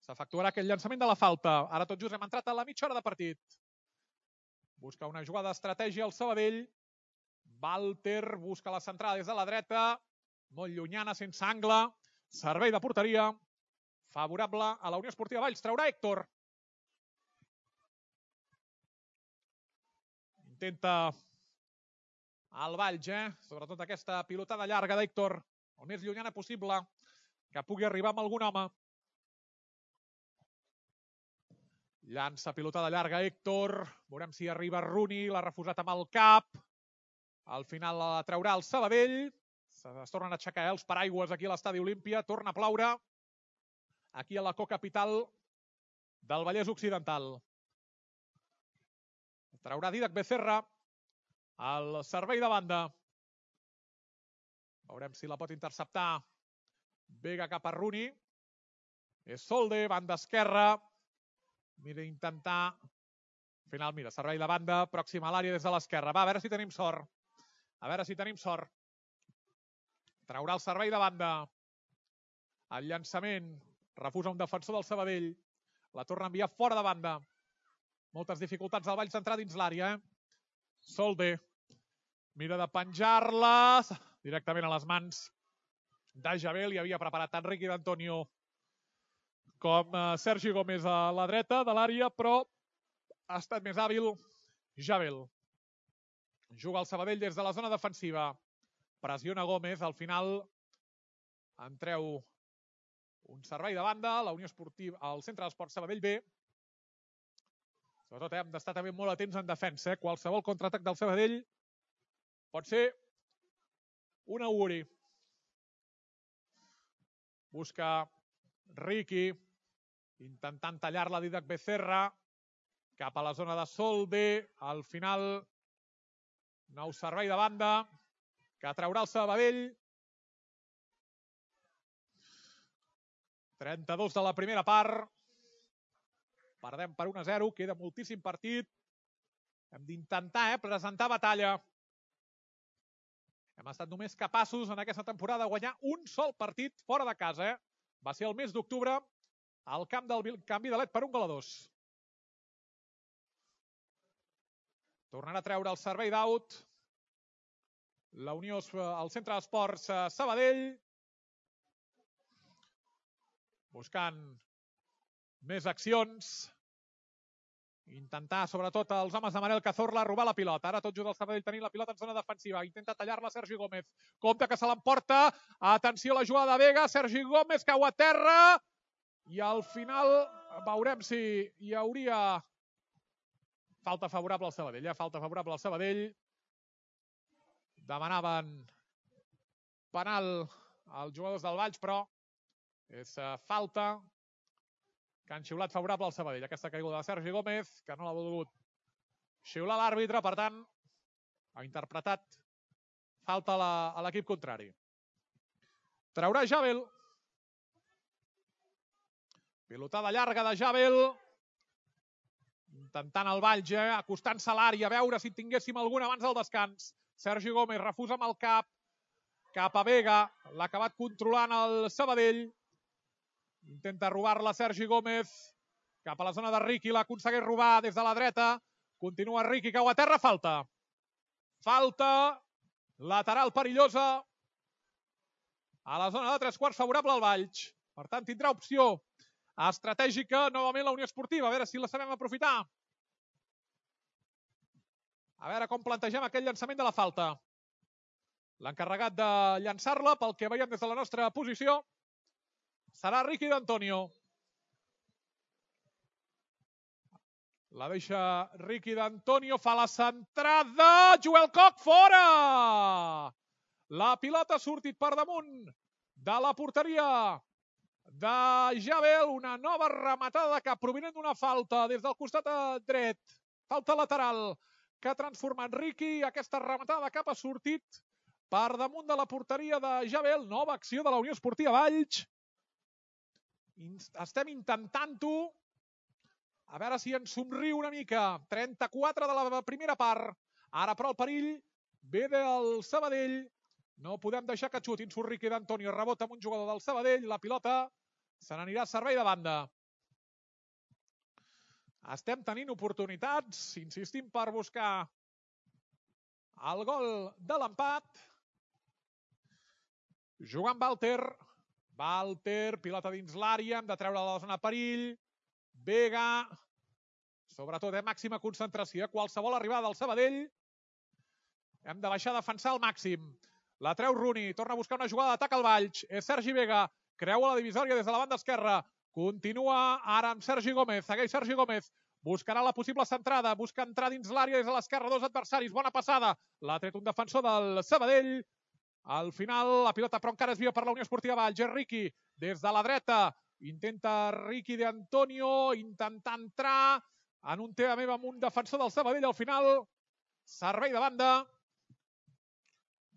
S'efectuarà aquest llançament de la falta. Ara tot just hem entrat a la mitja hora de partit. Busca una jugada d'estratègia al Sabadell. Walter busca la centrada des de la dreta. Molt llunyana, sense angle. Servei de porteria. Favorable a la Unió Esportiva Valls. Traurà Héctor. Intenta el Valls, eh? Sobretot aquesta pilotada llarga d'Héctor, el més llunyana possible, que pugui arribar amb algun home. Llança pilotada llarga Héctor. Veurem si arriba Rooney, l'ha refusat amb el cap. Al final la traurà el Sabadell. Es tornen a aixecar els paraigües aquí a l'Estadi Olímpia. Torna a ploure aquí a la cocapital del Vallès Occidental. Traurà Dídac Becerra al servei de banda. Veurem si la pot interceptar. Vega cap a Rooney. És Solde, banda esquerra. Mira, intentar... Al final, mira, servei de banda, pròxim a l'àrea des de l'esquerra. Va, a veure si tenim sort. A veure si tenim sort. Traurà el servei de banda. El llançament. Refusa un defensor del Sabadell. La torna a enviar fora de banda. Moltes dificultats al Valls d'entrar dins l'àrea. Eh? Solde. Mira de penjar-la directament a les mans de Jabel. Hi havia preparat tant Riqui d'Antonio com Sergi Gómez a la dreta de l'àrea, però ha estat més hàbil Jabel. Juga el Sabadell des de la zona defensiva. Pressiona Gómez. Al final en treu un servei de banda. La Unió Esportiva, el Centre d'Esports Sabadell B. Sobretot eh, hem d'estar també molt atents en defensa. Eh? Qualsevol contraatac del Sabadell pot ser un auguri. Busca Riqui, intentant tallar-la Dídac Becerra, cap a la zona de Solde. Al final, nou servei de banda, que traurà el Sabadell. trenta-dos de la primera part. Perdem per un a zero, queda moltíssim partit. Hem d'intentar eh, presentar batalla. Hem estat només capaços en aquesta temporada de guanyar un sol partit fora de casa. Eh? Va ser el mes d'octubre al camp del Canvi de Led per un gol a dos. Tornarà a treure el servei d'out. La Unió, el Centre d'Esports Sabadell. Buscant més accions. Intentar, sobretot, els homes de Manel Cazorla robar la pilota. Ara tot just el Sabadell tenint la pilota en zona defensiva. Intenta tallar-la Sergi Gómez. Compte que se l'emporta. Atenció a la jugada de Vega. Sergi Gómez cau a terra. I al final veurem si hi hauria falta favorable al Sabadell. Ja falta favorable al Sabadell. Demanaven penal als jugadors del Valls, però és falta que han xiulat favorable al Sabadell. Aquesta caiguda de Sergi Gómez, que no l'ha volgut xiular l'àrbitre, per tant, ha interpretat falta a l'equip contrari. Traurà Jabel. Pilotada llarga de Jabel. Intentant el Valls, eh? Acostant-se a l'àrea, a veure si tinguéssim alguna abans del descans. Sergi Gómez refusa amb el cap. Cap a Vega. L'ha acabat controlant el Sabadell. Intenta robar-la Sergi Gómez. Cap a la zona de Riqui. L'aconsegueix robar des de la dreta. Continua Riqui, cau a terra. Falta. Falta. Lateral perillosa. A la zona de tres quarts favorable al Valls. Per tant, tindrà opció estratègica novament la Unió Esportiva. A veure si la sabem aprofitar. A veure com plantegem aquell llançament de la falta. L'encarregat de llançar-la, pel que veiem des de la nostra posició, serà Riqui d'Antonio. La deixa Riqui d'Antonio, fa la centrada, Joel Koch, fora! La pilota ha sortit per damunt de la porteria de Jabel, una nova rematada de cap provinent d'una falta des del costat dret. Falta lateral que ha transformat Riqui. Aquesta rematada de cap ha sortit per damunt de la porteria de Jabel. Nova acció de la Unió Esportiva Valls. Estem intentant-ho. A veure si ens somriu una mica. trenta-quatre de la primera part. Ara, però, el perill ve del Sabadell. No podem deixar que xutin. Surt Riqui d'Antonio, rebota amb un jugador del Sabadell. La pilota se n'anirà a servei de banda. Estem tenint oportunitats. Insistim per buscar el gol de l'empat. Jugant Walter. Walter, pilota dins l'àrea. Hem de treure la zona de perill. Vega. Sobretot, eh, màxima concentració. Qualsevol arribada del Sabadell. Hem de baixar a defensar al màxim. La treu Rooney. Torna a buscar una jugada d'atac al Valls. És Sergi Vega. Creua la divisòria des de la banda esquerra. Continua ara amb Sergi Gómez. Segueix Sergi Gómez. Buscarà la possible centrada. Busca entrar dins l'àrea des de l'esquerra. Dos adversaris. Bona passada. L'ha tret un defensor del Sabadell. Al final, la pilota però encara es via per la Unió Esportiva Valls. És Riqui des de la dreta. Intenta Riqui d'Antonio. Intentar entrar en un tema meva amb un defensor del Sabadell. Al final, servei de banda.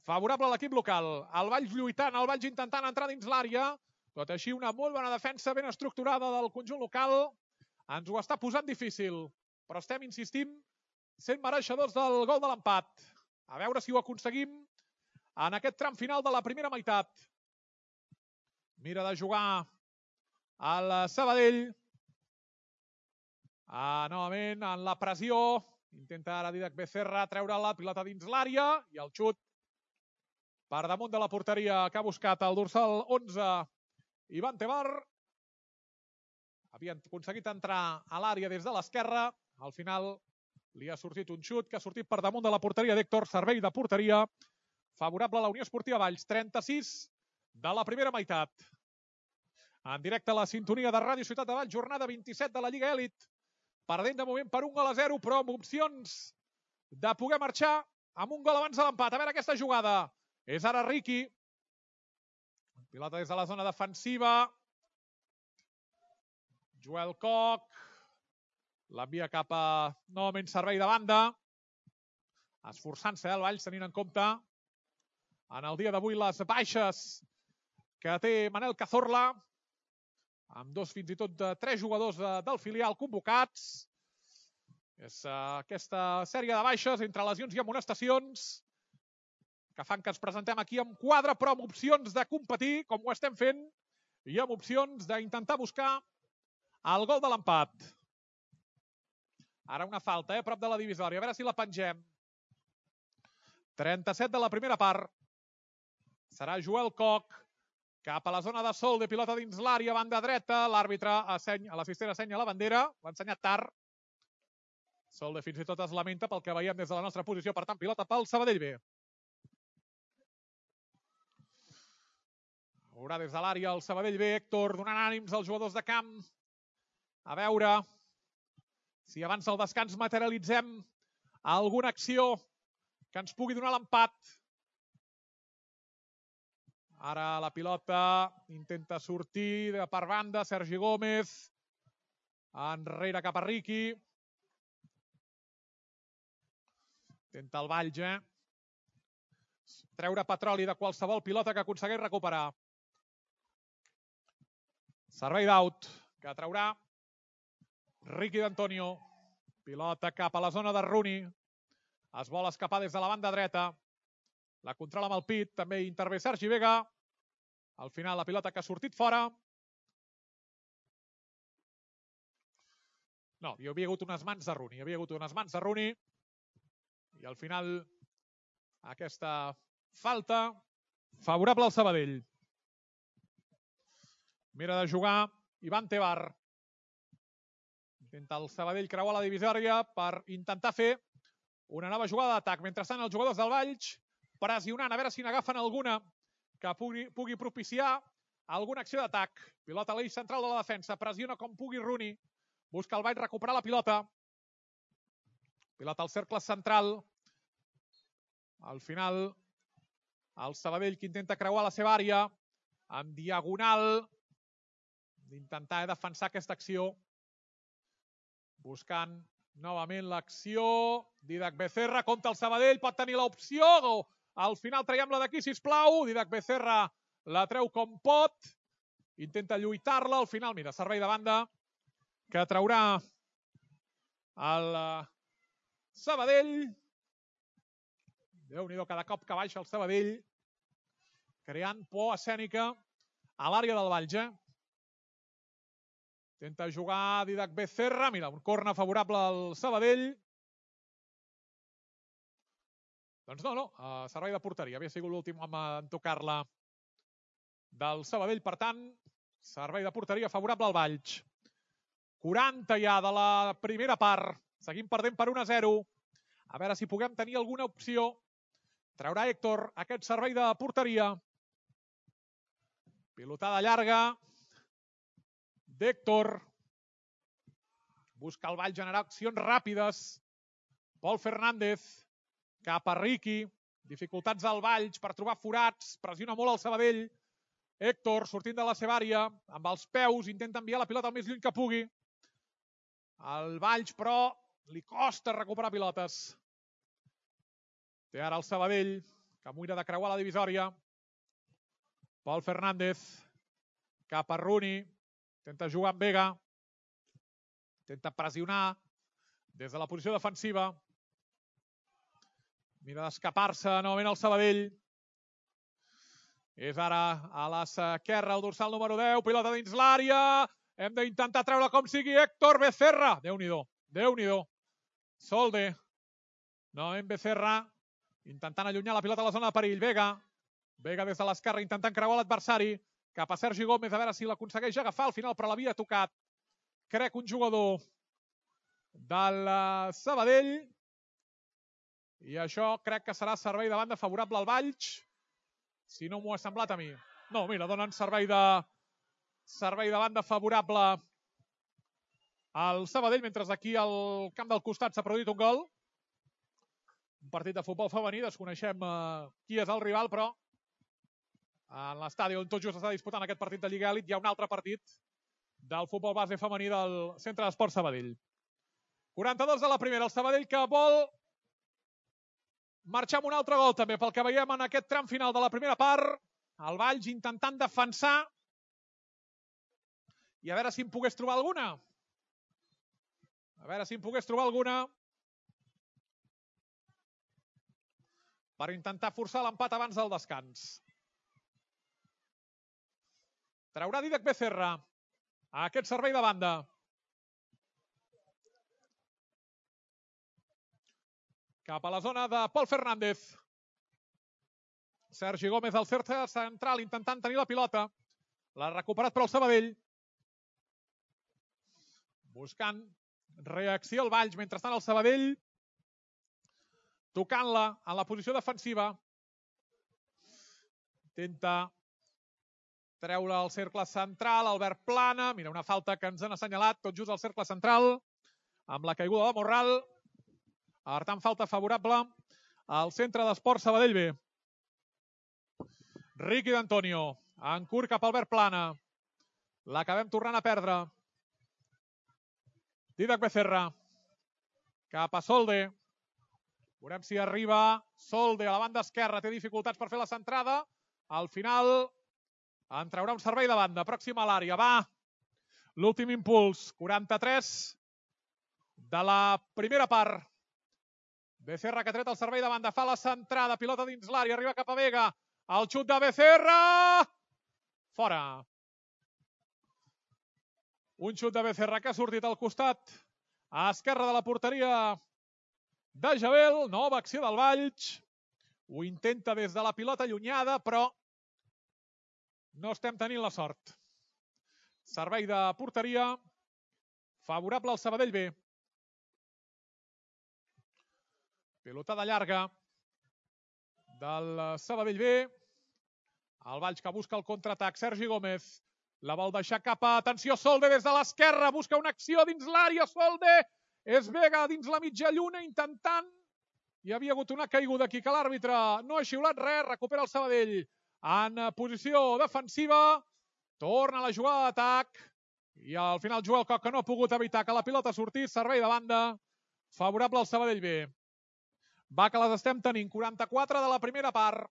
Favorable a l'equip local. El Valls lluitant, el Valls intentant entrar dins l'àrea. Tot així, una molt bona defensa ben estructurada del conjunt local. Ens ho està posant difícil, però estem, insistim, sent mereixedors del gol de l'empat. A veure si ho aconseguim en aquest tram final de la primera meitat. Mira de jugar el Sabadell. Ah, novament, en la pressió. Intenta ara Didac Becerra treure la pilota dins l'àrea i el xut per damunt de la porteria que ha buscat el dorsal onze. Ivan Tebar. Havien aconseguit entrar a l'àrea des de l'esquerra. Al final li ha sortit un xut que ha sortit per damunt de la porteria d'Héctor. Servei de porteria favorable a la Unió Esportiva Valls. trenta-sis de la primera meitat. En directe a la sintonia de Ràdio Ciutat de Valls. Jornada vint-i-set de la Lliga Elit. Perdent de moment per un gol a zero, però amb opcions de poder marxar amb un gol abans de l'empat. A veure aquesta jugada. És ara Riqui. Pilota des de la zona defensiva. Joel Koch. L'envia cap a novament servei de banda. Esforçant-se el Valls, tenint en compte en el dia d'avui les baixes que té Manel Cazorla, amb dos fins i tot de tres jugadors del filial convocats. És aquesta sèrie de baixes entre lesions i amonestacions que fan que ens presentem aquí amb quadre, però amb opcions de competir, com ho estem fent, i amb opcions d'intentar buscar el gol de l'empat. Ara una falta, eh, a prop de la divisòria. A veure si la pengem. trenta-set de la primera part. Serà Joel Koch cap a la zona de sol de pilota dins l'àrea, banda dreta. L'àrbitre, l'assistent assenya la bandera. L'ha ensenyat tard. Solde fins i tot es lamenta pel que veiem des de la nostra posició. Per tant, pilota pel Sabadell B. Veurà des de l'àrea el Sabadell B. Héctor donant ànims als jugadors de camp. A veure si abans del descans materialitzem alguna acció que ens pugui donar l'empat. Ara la pilota intenta sortir de per banda. Sergi Gómez. Enrere cap a Riqui. Intenta el Valls, eh? Treure petroli de qualsevol pilota que aconsegueix recuperar. Servei d'out que traurà Riqui d'Antonio. Pilota cap a la zona de Rooney. Es vol escapar des de la banda dreta. La controla amb el pit. També intervé Sergi Vega. Al final la pilota que ha sortit fora. No, hi havia hagut unes mans de Rooney. Hi havia hagut unes mans de Rooney. I al final aquesta falta favorable al Sabadell. Mira de jugar Ivan Tebar. Intenta el Sabadell creuar la divisòria per intentar fer Una nova jugada d'atac. Mentrestant, els jugadors del Valls pressionant, a veure si n'agafen alguna que pugui, pugui propiciar alguna acció d'atac. Pilota a l'eix central de la defensa. Pressiona com pugui Rooney. Busca el Valls recuperar la pilota. Pilota al cercle central. Al final, el Sabadell que intenta creuar la seva àrea en diagonal. D'intentar defensar aquesta acció. Buscant novament l'acció. Didac Becerra contra el Sabadell. Pot tenir l'opció. Al final traiem-la d'aquí, sisplau. Didac Becerra la treu com pot. Intenta lluitar-la. Al final, mira, servei de banda que traurà el Sabadell. Déu-n'hi-do, cada cop que baixa el Sabadell, creant por escènica a l'àrea del Valls, eh? Intenta jugar Didac Becerra. Mira, un corna favorable al Sabadell. Doncs no, no, uh, servei de porteria. Havia sigut l'últim home en tocar-la del Sabadell. Per tant, servei de porteria favorable al Valls. quaranta ja de la primera part. Seguim perdent per un a zero. A veure si puguem tenir alguna opció. Traurà Héctor aquest servei de porteria. Pilotada llarga d'Héctor. Busca el Valls generar accions ràpides. Pol Fernández cap a Riqui. Dificultats del Valls per trobar forats. Pressiona molt el Sabadell. Héctor sortint de la seva àrea. Amb els peus intenta enviar la pilota el més lluny que pugui. El Valls, però, li costa recuperar pilotes. Té ara el Sabadell, que mira de creuar la divisòria. Pol Fernández, cap a Rooney. Intenta jugar amb Vega. Intenta pressionar des de la posició defensiva. Mira d'escapar-se novament el Sabadell. És ara a l'esquerra el dorsal número deu. Pilota dins l'àrea. Hem d'intentar treure com sigui Héctor Becerra. Déu-n'hi-do, Déu-n'hi-do. Solde. Novament Becerra. Intentant allunyar la pilota a la zona de perill. Vega. Vega des de l'esquerra intentant creuar l'adversari. Cap a Sergi Gómez a veure si l'aconsegueix agafar. Al final però l'havia tocat. Crec un jugador del Sabadell. I això crec que serà servei de banda favorable al Valls. Si no m'ho ha semblat a mi. No, mira, donen servei de servei de banda favorable al Sabadell, mentre aquí al camp del costat s'ha produït un gol. Un partit de futbol femení, desconeixem eh, qui és el rival, però en l'estadi on tot just està disputant aquest partit de Lliga Elit hi ha un altre partit del futbol base femení del Centre d'Esport Sabadell. quaranta-dos de la primera, el Sabadell que vol marxar amb un altre gol també, pel que veiem en aquest tram final de la primera part. El Valls intentant defensar i a veure si en pogués trobar alguna. A veure si en pogués trobar alguna per intentar forçar l'empat abans del descans. Traurà Didac Becerra a aquest servei de banda. Cap a la zona de Pol Fernández. Sergi Gómez al cercle central intentant tenir la pilota. L'ha recuperat per al Sabadell. Buscant reacció al Valls. Mentrestant el Sabadell tocant-la en la posició defensiva. Intenta treure el cercle central. Albert Plana. Mira, una falta que ens han assenyalat tot just al cercle central. Amb la caiguda de Morral. Per tant, falta favorable al Centre d'Esport Sabadell B. Riqui d'Antonio. En curt cap a Albert Plana. L'acabem tornant a perdre. Didac Becerra. Cap a Solde. Veurem si arriba Solde a la banda esquerra. Té dificultats per fer la centrada. Al final en traurà un servei de banda. Pròxim a l'àrea. Va. L'últim impuls. quaranta-tres de la primera part. Becerra que ha tret el servei de banda. Fa la centrada. Pilota dins l'àrea. Arriba cap a Vega. El xut de Becerra. Fora. Un xut de Becerra que ha sortit al costat a esquerra de la porteria de Jabel. Nova acció del Valls. Ho intenta des de la pilota allunyada, però no estem tenint la sort. Servei de porteria favorable al Sabadell B. Pilotada llarga del Sabadell B. El Valls que busca el contraatac. Sergi Gómez la vol deixar cap a... Atenció, Solde des de l'esquerra. Busca una acció dins l'àrea. Solde és Vega dins la mitja lluna intentant. Hi havia hagut una caiguda aquí que l'àrbitre no ha xiulat res. Recupera el Sabadell en posició defensiva. Torna la jugada d'atac. I al final Joel Coc, que no ha pogut evitar que la pilota sortís. Servei de banda favorable al Sabadell B. Va que les estem tenint. quaranta-quatre de la primera part.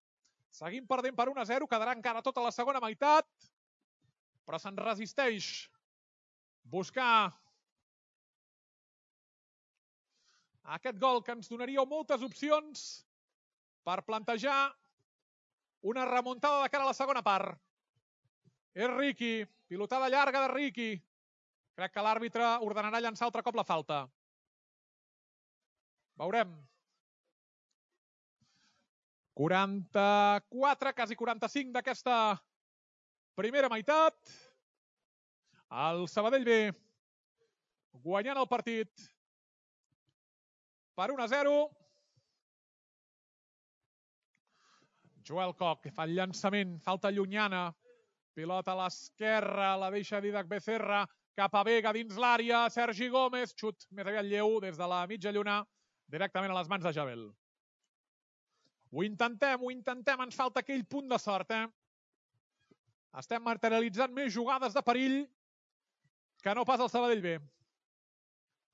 Seguim perdent per un a zero. Quedarà encara tota la segona meitat. Però se'n resisteix buscar aquest gol que ens donaria moltes opcions per plantejar una remuntada de cara a la segona part. És Riqui. Pilotada llarga de Riqui. Crec que l'àrbitre ordenarà llançar altre cop la falta. Veurem. quaranta-quatre, quasi quaranta-cinc d'aquesta primera meitat. El Sabadell B guanyant el partit per un a zero. Joel Coc fa el llançament, falta llunyana. Pilota a l'esquerra, la deixa Didac Becerra cap a Vega dins l'àrea. Sergi Gómez, xut més aviat lleu des de la mitja lluna, directament a les mans de Jabel. Ho intentem, ho intentem, ens falta aquell punt de sort, eh? Estem materialitzant més jugades de perill que no pas el Sabadell B.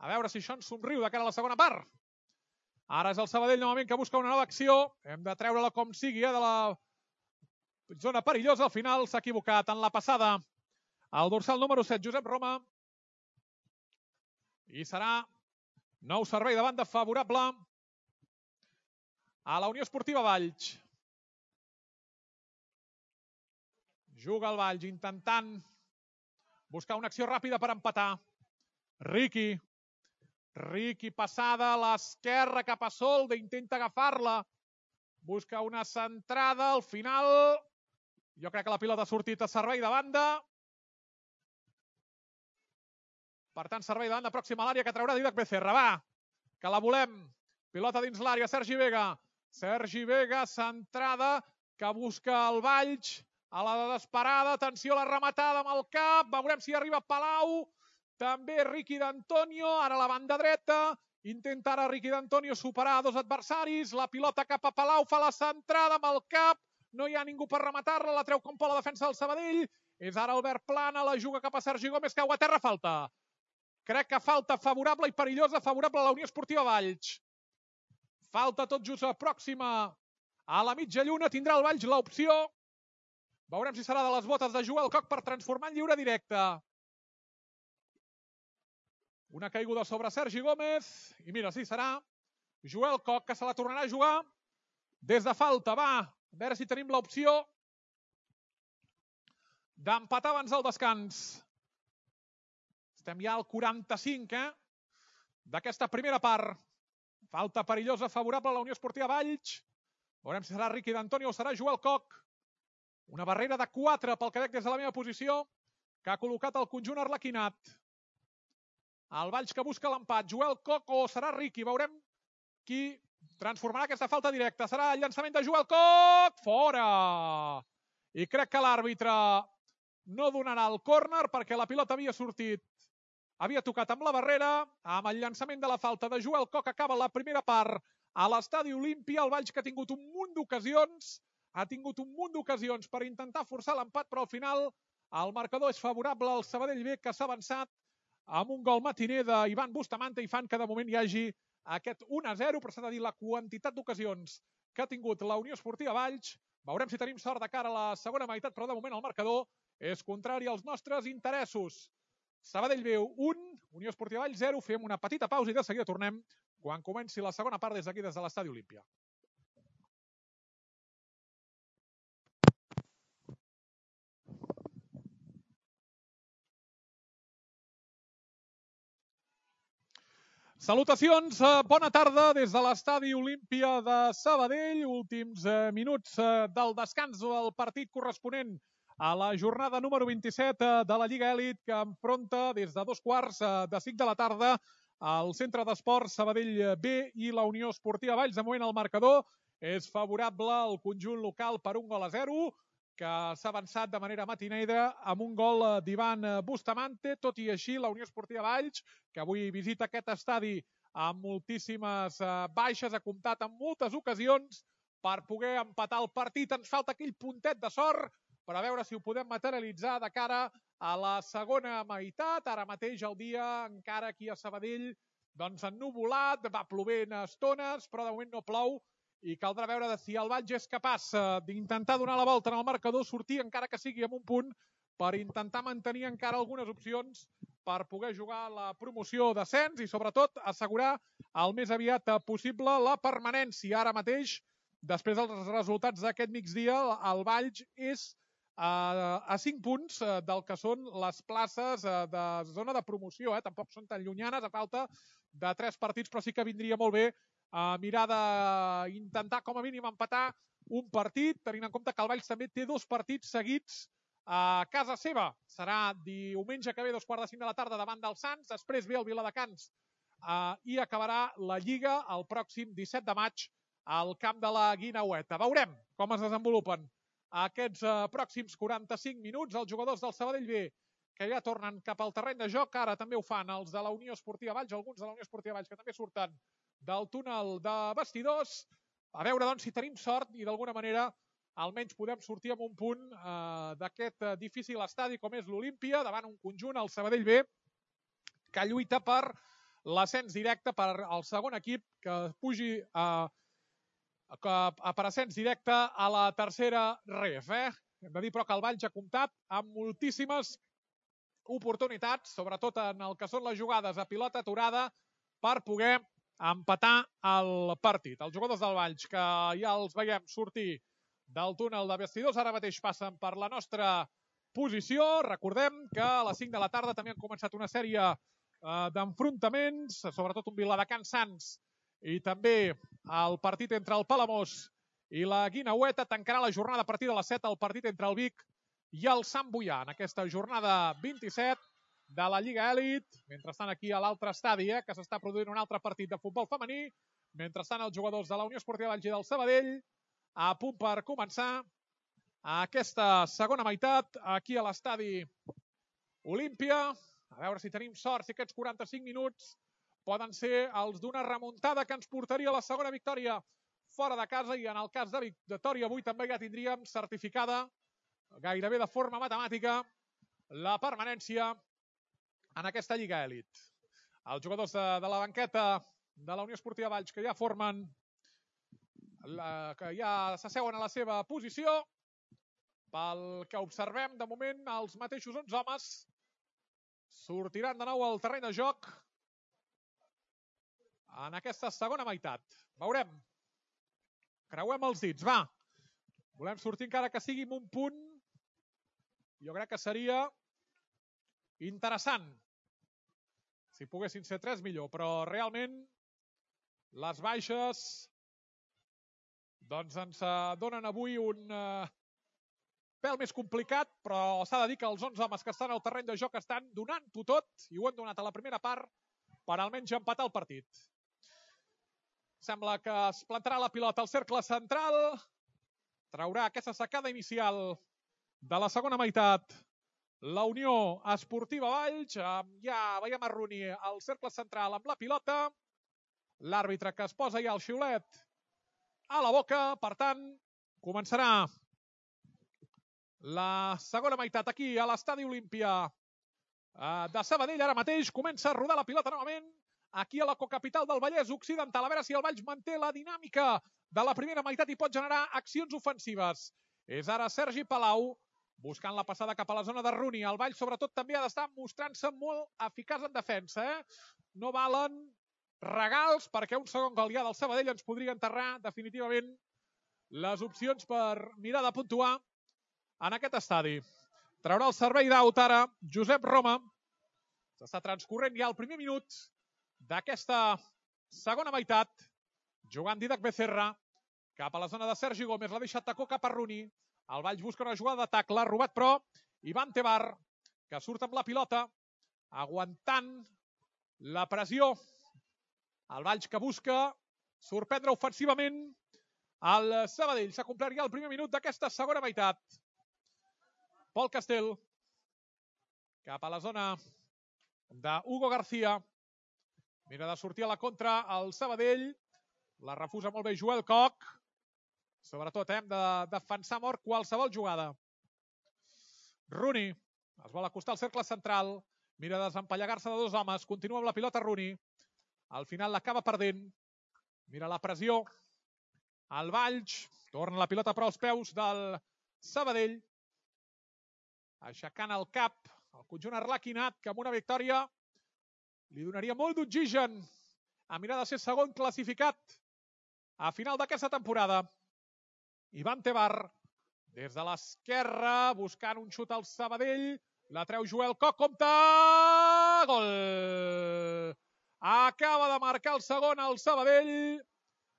A veure si això ens somriu de cara a la segona part. Ara és el Sabadell novament que busca una nova acció. Hem de treure-la com sigui, eh, de la zona perillosa. Al final s'ha equivocat en la passada. El dorsal número set, Josep Roma. I serà nou servei de banda favorable a la Unió Esportiva Valls. Juga el Valls intentant buscar una acció ràpida per empatar. Riqui. Riqui passada a l'esquerra cap a Solde. Intenta agafar-la. Busca una centrada. Al final jo crec que la pilota ha sortit a servei de banda. Per tant, servei de banda pròxima a l'àrea que traurà Didac Becerra. Va, que la volem. Pilota dins l'àrea. Sergi Vega. Sergi Vega, centrada, que busca el Valls. A la desesperada, atenció a la rematada amb el cap, veurem si arriba Palau, també Riqui d'Antonio, ara a la banda dreta, intenta ara Riqui d'Antonio superar dos adversaris, la pilota cap a Palau, fa la centrada amb el cap, no hi ha ningú per rematar-la, la treu com pot la defensa del Sabadell, és ara Albert Plana, la juga cap a Sergi Gómez, cau a terra, falta. Crec que falta favorable i perillosa, favorable a la Unió Esportiva Valls. Falta tot just a pròxima a la mitja lluna, tindrà el Valls l'opció. Veurem si serà de les botes de Joel Coc per transformar en lliure directe. Una caiguda sobre Sergi Gómez. I mira, sí, serà Joel Coc que se la tornarà a jugar des de falta. Va, a veure si tenim l'opció d'empatar abans del descans. Estem ja al quaranta-cinc, eh? D'aquesta primera part. Falta perillosa favorable a la Unió Esportiva Valls. Veurem si serà Riqui d'Antonio o serà Joel Coc. Una barrera de quatre pel que veig des de la meva posició que ha col·locat el conjunt arlequinat. El Valls que busca l'empat. Joel Coc o serà Riqui. Veurem qui transformarà aquesta falta directa. Serà el llançament de Joel Coc. Fora! I crec que l'àrbitre no donarà el córner perquè la pilota havia sortit. Havia tocat amb la barrera. Amb el llançament de la falta de Joel Coc acaba la primera part a l'Estadi Olímpia. El Valls que ha tingut un munt d'ocasions. Ha tingut un munt d'ocasions per intentar forçar l'empat, però al final el marcador és favorable al Sabadell B, que s'ha avançat amb un gol matiner d'Ivan Bustamante i fan que de moment hi hagi aquest un a zero, però s'ha de dir la quantitat d'ocasions que ha tingut la Unió Esportiva Valls. Veurem si tenim sort de cara a la segona meitat, però de moment el marcador és contrari als nostres interessos. Sabadell B un, Unió Esportiva Valls zero. Fem una petita pausa i de seguida tornem quan comenci la segona part des d'aquí, des de l'Estadi Olímpia. Salutacions, bona tarda des de l'Estadi Olímpia de Sabadell. Últims minuts del descans del partit corresponent a la jornada número vint-i-set de la Lliga Elit, que enfronta des de dos quarts de cinc de la tarda al Centre d'Esports Sabadell B i la Unió Esportiva Valls. De moment el marcador és favorable al conjunt local per un gol a zero, que s'ha avançat de manera matinera amb un gol d'Ivan Bustamante. Tot i així, la Unió Esportiva Valls, que avui visita aquest estadi amb moltíssimes baixes, ha comptat en moltes ocasions per poder empatar el partit. Ens falta aquell puntet de sort per a veure si ho podem materialitzar de cara a la segona meitat. Ara mateix el dia, encara aquí a Sabadell, doncs ennuvolat, va plovent a estones, però de moment no plou i caldrà veure si el Valls és capaç d'intentar donar la volta en el marcador, sortir encara que sigui amb un punt per intentar mantenir encara algunes opcions per poder jugar la promoció d'ascens i sobretot assegurar el més aviat possible la permanència. Ara mateix, després dels resultats d'aquest migdia, el Valls és a cinc punts del que són les places de zona de promoció. Tampoc són tan llunyanes, a falta de tres partits, però sí que vindria molt bé mirar d'intentar com a mínim empatar un partit, tenint en compte que el Valls també té dos partits seguits a casa seva. Serà diumenge que ve, dos quarts de cinc de la tarda, davant del Sants, després ve el Viladecans i acabarà la Lliga el pròxim disset de maig al camp de la Guineueta. Veurem com es desenvolupen aquests pròxims quaranta-cinc minuts. Els jugadors del Sabadell B, que ja tornen cap al terreny de joc, ara també ho fan els de la Unió Esportiva Valls, alguns de la Unió Esportiva Valls que també surten del túnel de vestidors. A veure, doncs, si tenim sort i d'alguna manera almenys podem sortir amb un punt d'aquest difícil estadi com és l'Olímpia, davant un conjunt, el Sabadell B, que lluita per l'ascens directe, per el segon equip que pugi a per ascens directe a la tercera ref. Hem de dir, però, que el Valls ha comptat amb moltíssimes oportunitats, sobretot en el que són les jugades a pilota aturada, per poder empatar el partit. Els jugadors del Valls, que ja els veiem sortir del túnel de vestidors, ara mateix passen per la nostra posició. Recordem que a les cinc de la tarda també han començat una sèrie d'enfrontaments, sobretot un Viladecans Sants i també el partit entre el Palamós i la Guineueta. Tancarà la jornada a partir de les set el partit entre el Vic i el Sant Boià en aquesta jornada vint-i-set de la Lliga Elit. Mentrestant, aquí a l'altre estadi, que s'està produint un altre partit de futbol femení. Mentrestant, els jugadors de la Unió Esportiva Valls i del Sabadell a punt per començar aquesta segona meitat aquí a l'estadi Olímpia. A veure si tenim sort, si aquests quaranta-cinc minuts poden ser els d'una remuntada que ens portaria a la segona victòria fora de casa, i en el cas de victòria avui també ja tindríem certificada gairebé de forma matemàtica la permanència en aquesta Lliga Elit. Els jugadors de la banqueta de la Unió Esportiva Valls, que ja formen, que ja s'asseuen a la seva posició, pel que observem, de moment els mateixos onze homes sortiran de nou al terreny de joc en aquesta segona meitat. Veurem. Creuem els dits, va. Volem sortir encara que sigui amb un punt. Jo crec que seria interessant. Si poguessin ser tres, millor. Però realment les baixes doncs ens donen avui un pèl més complicat, però s'ha de dir que els onze homes que estan al terreny de joc estan donant-ho tot, i ho han donat a la primera part, per almenys empatar el partit. Sembla que es plantarà la pilota al cercle central. Traurà aquesta sacada inicial de la segona meitat la Unió Esportiva Valls. Ja veiem a Rooney al cercle central amb la pilota. L'àrbitre que es posa ja el xiulet a la boca. Per tant, començarà la segona meitat aquí a l'estadi Olímpia de Sabadell. Ara mateix comença a rodar la pilota novament aquí a la cocapital del Vallès Occidental. A veure si el Valls manté la dinàmica de la primera meitat i pot generar accions ofensives. És ara Sergi Palau buscant la passada cap a la zona de Rooney. El Valls sobretot també ha d'estar mostrant-se molt eficaç en defensa. No valen regals, perquè un segon gol ja del Sabadell ens podria enterrar definitivament les opcions per mirar de puntuar en aquest estadi. Traurà el servei d'aut ara Josep Roma. S'està transcorrent ja el primer minut d'aquesta segona meitat, jugant Didac Becerra cap a la zona de Sergi Gómez. L'ha deixat tacó cap a Rooney. El Valls busca una jugada d'atac, l'ha robat però Ivan Tebar, que surt amb la pilota, aguantant La pressió. El Valls que busca sorprendre ofensivament el Sabadell. S'ha complert ja el primer minut d'aquesta segona meitat. Pol Castell. Cap a la zona d'Hugo García. Mira de sortir a la contra el Sabadell. La refusa molt bé Joel Koch. Sobretot hem de defensar mort qualsevol jugada. Rooney es vol acostar al cercle central. Mira de desempallegar-se de dos homes. Continua amb la pilota Rooney. Al final l'acaba perdent. Mira la pressió. El Valls. Torna la pilota però als peus del Sabadell. Aixecant el cap. El conjunt arlequinat que amb una victòria li donaria molt d'oxigen a mirar de ser segon classificat a final d'aquesta temporada. Ivan Tebar, des de l'esquerra, buscant un xut al Sabadell. La treu Joel Koch, compte! Gol! Acaba de marcar el segon al Sabadell.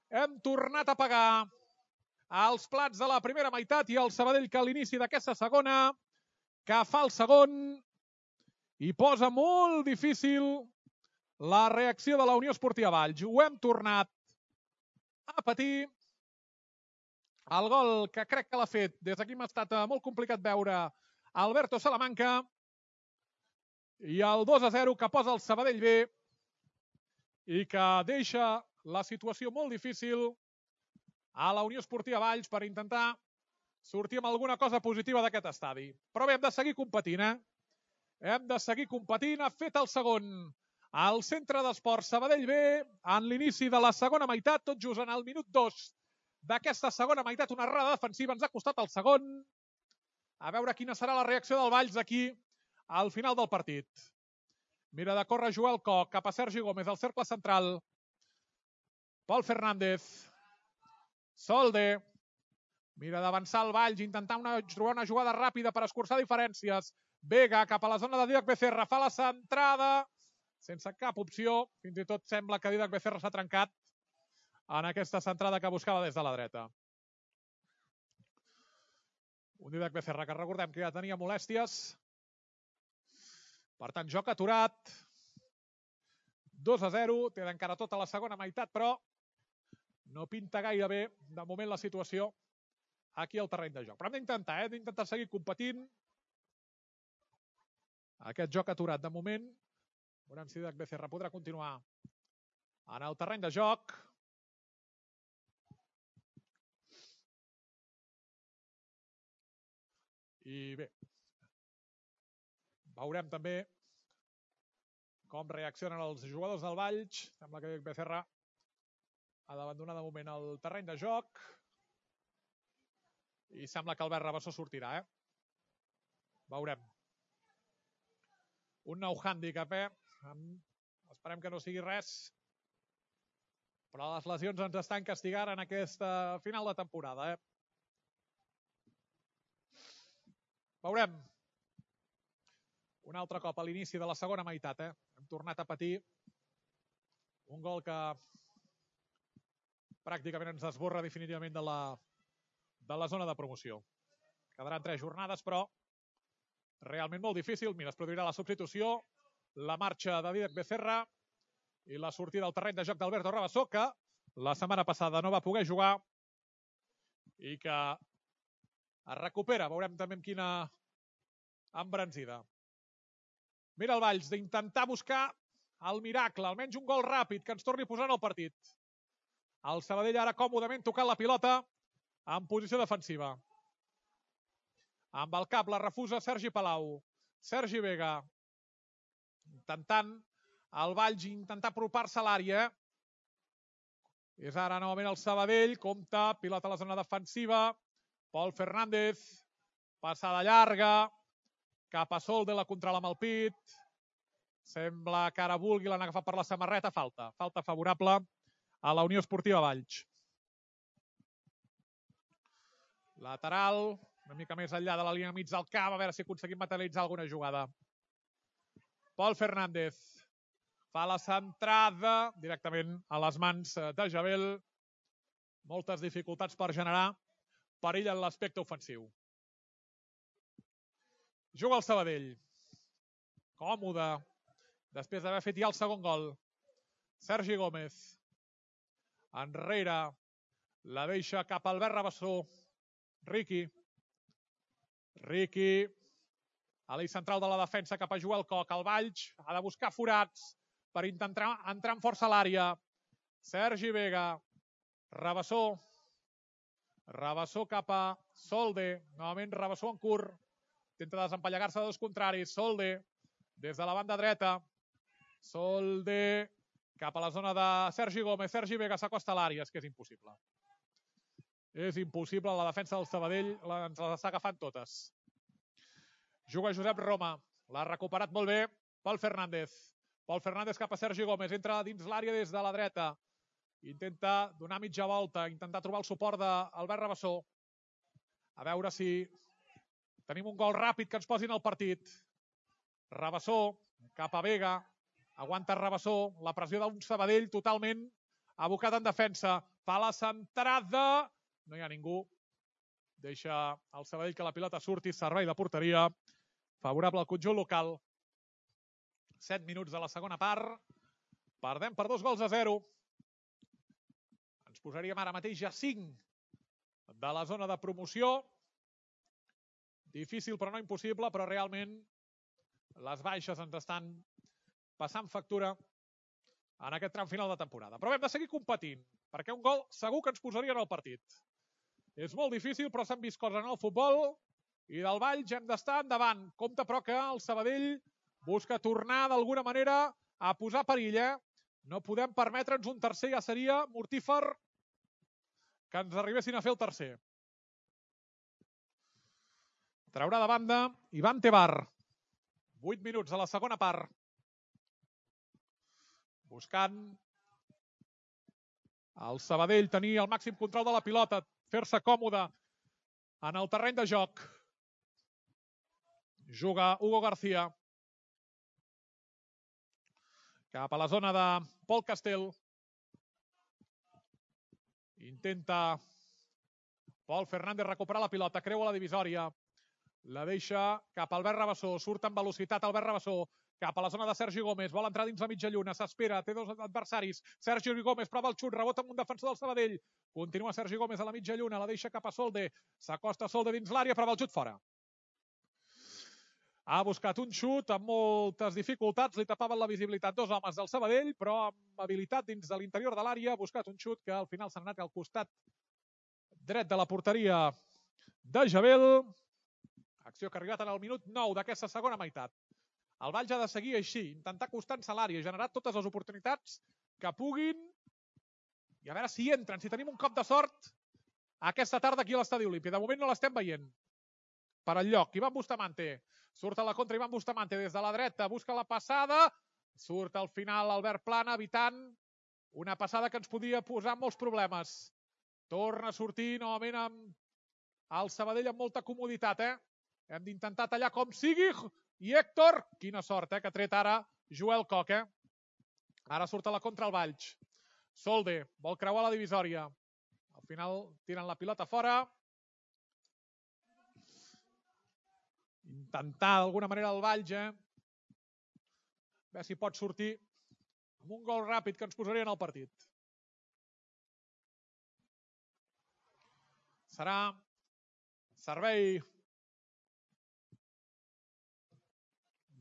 Hem tornat a pagar els plats de la primera meitat i el Sabadell que a l'inici d'aquesta segona, que fa el segon i posa molt difícil la reacció de la Unió Esportiva Valls. Ho hem tornat a patir. El gol que crec que l'ha fet, des d'aquí m'ha estat molt complicat veure, Alberto Salamanca. I el dos a zero que posa el Sabadell B i que deixa la situació molt difícil a la Unió Esportiva Valls per intentar sortir amb alguna cosa positiva d'aquest estadi. Però bé, hem de seguir competint, eh? Hem de seguir competint. Ha fet el segon al Centre d'Esports Sabadell B en l'inici de la segona meitat, tot just en el minut dos d'aquesta segona meitat. Una errada defensiva ens ha costat el segon. A veure quina serà la reacció del Valls aquí al final del partit. Mira de córrer Joel Koch cap a Sergi Gómez al cercle central. Pol Fernández. Solde. Mira d'avançar el Valls, intentar una, trobar una jugada ràpida per escurçar diferències. Vega cap a la zona de Didac Becerra. Fa la centrada sense cap opció. Fins i tot sembla que Didac Becerra s'ha trencat en aquesta centrada que buscava des de la dreta. Un Didac Becerra que recordem que ja tenia molèsties. Per tant, joc aturat. dos a zero. Té encara tota la segona meitat, però no pinta gaire bé de moment la situació aquí al terreny de joc. Però hem d'intentar, eh? Hem d'intentar seguir competint. Aquest joc aturat de moment. Veurem si Didac Becerra podrà continuar en el terreny de joc. I bé, veurem també com reaccionen els jugadors del Valls. Sembla que Didac Becerra ha d'abandonar de moment el terreny de joc. I sembla que Albert Rabassó sortirà, eh? Veurem. Un nou hàndicap, eh? Esperem que no sigui res. Però les lesions ens estan castigant en aquesta final de temporada, eh? Veurem. Un altre cop a l'inici de la segona meitat, eh? Hem tornat a patir un gol que pràcticament ens desborra definitivament de la, de la zona de promoció. Quedaran tres jornades, però realment molt difícil. Mira, es produirà la substitució, la marxa de Didac Becerra i la sortida al terreny de joc d'Alberto Rabassó, que la setmana passada no va poder jugar i que es recupera. Veurem també amb quina embranzida. Mira el Valls d'intentar buscar el miracle, almenys un gol ràpid que ens torni a posar en el partit. El Sabadell ara còmodament tocant la pilota en posició defensiva. Amb el cap la refusa Sergi Palau. Sergi Vega. Intentant el Valls intentar apropar-se a l'àrea. És ara novament el Sabadell. Compte, pilota a la zona defensiva. Pol Fernández. Passada llarga. Cap a Solde, la controla amb el pit. Sembla que ara vulgui, l'han agafat per la samarreta. Falta. Falta favorable a la Unió Esportiva Valls. Lateral. Una mica més enllà de la línia mig del camp. A veure si aconseguim materialitzar alguna jugada. Pol Fernández. Fa la centrada directament a les mans de Jabel. Moltes dificultats per generar perill en l'aspecte ofensiu. Juga el Sabadell. Còmode. després d'haver fet ja el segon gol. Sergi Gómez. Enrere. La deixa cap a Albert Rabassó. Riqui. Riqui. A l'eix central de la defensa cap a Joel Coc. El Valls ha de buscar forats per intentar entrar amb força a l'àrea. Sergi Vega. Rabassó. Rabassó cap a Solde. Novament Rabassó en curt. Intenta desempallegar-se de dos contraris. Solde. Des de la banda dreta. Solde. Cap a la zona de Sergi Gómez. Sergi Vega s'acosta a l'àrea. És que és impossible. És impossible. La defensa del Sabadell ens les està agafant totes. Juga Josep Roma. L'ha recuperat molt bé Pol Fernández. Pol Fernández cap a Sergi Gómez. Entra dins l'àrea des de la dreta. Intenta donar mitja volta. Intentar trobar el suport d'Albert Rabassó. A veure si tenim un gol ràpid que ens posin al partit. Rabassó cap a Vega. Aguanta Rabassó. La pressió d'un Sabadell totalment abocat en defensa. Fa la centrada. No hi ha ningú. Deixa el Sabadell que la pilota surti. Servei de porteria. Favorable al conjunt local. set minuts de la segona part. Perdem per dos gols a zero. Ens posaríem ara mateix a cinc de la zona de promoció. Difícil però no impossible, però realment les baixes ens estan passant factura en aquest tram final de temporada. Però hem de seguir competint, perquè un gol segur que ens posaria en el partit. És molt difícil, però s'han vist coses en el futbol i del Valls hem d'estar endavant. Compte, però, que el Sabadell busca tornar d'alguna manera a posar perill, eh? No podem permetre'ns un tercer, ja seria mortífer que ens arribessin a fer el tercer. Traurà de banda Ivan Tebar. vuit minuts de la segona part. Buscant el Sabadell tenir el màxim control de la pilota, fer-se còmode en el terreny de joc. Juga Hugo García. Cap a la zona de Pol Castel. Intenta Pol Fernández recuperar la pilota, creua la divisòria. La deixa cap a Albert Rabassó. Surt amb velocitat Albert Rabassó. Cap a la zona de Sergi Gómez. Vol entrar dins la mitja lluna. S'espera. Té dos adversaris. Sergi Gómez prova el xut. Rebota amb un defensor del Sabadell. Continua Sergi Gómez a la mitja lluna. La deixa cap a Solde. S'acosta Solde dins l'àrea. Prova el xut fora. Ha buscat un xut amb moltes dificultats. Li tapaven la visibilitat dos homes del Sabadell, però amb habilitat dins de l'interior de l'àrea. Ha buscat un xut que al final s'ha anat al costat dret de la porteria de Jabel. Acció que ha arribat en el minut nou d'aquesta segona meitat. El Valls ha de seguir així, intentar acostar-se a l'àrea, generar totes les oportunitats que puguin i a veure si entren, si tenim un cop de sort aquesta tarda aquí a l'Estadi Olímpic. De moment no l'estem veient. Per al lloc, Ivan Bustamante. Surt a la contra Ivan Bustamante des de la dreta, busca la passada. Surt al final Albert Plana, evitant una passada que ens podia posar molts problemes. Torna a sortir novament amb el Sabadell amb molta comoditat, eh? Hem d'intentar tallar com sigui. I Héctor, quina sort, eh, que ha tret ara Joel Coc, eh? Ara surt a la contra el Valls. Solde, vol creuar la divisòria. Al final tiren la pilota fora. Intentar d'alguna manera el Valls, eh? A veure si pot sortir amb un gol ràpid que ens posaria en el partit. Serà servei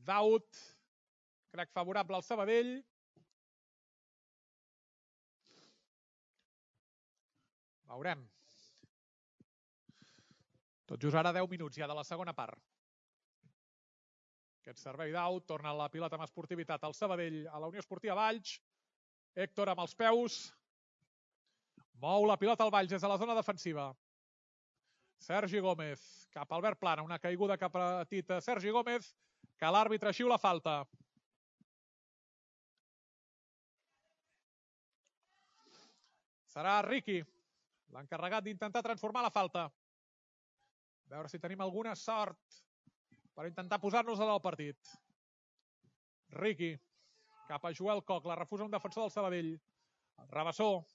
d'out, crec favorable al Sabadell. Veurem. Tot just ara deu minuts ja de la segona part. Aquest servei d'out, torna la pilota amb esportivitat al Sabadell, a la Unió Esportiva Valls. Héctor amb els peus. Mou la pilota al Valls des de la zona defensiva. Sergi Gómez, cap a Albert Plana, una caiguda cap a Tita. Sergi Gómez, que l'àrbitre xiula falta. Serà Riqui, l'encarregat d'intentar transformar la falta. A veure si tenim alguna sort per intentar posar-nos en el partit. Riqui, cap a Joel Coc, la refusa un defensor del Sabadell. Rabassó,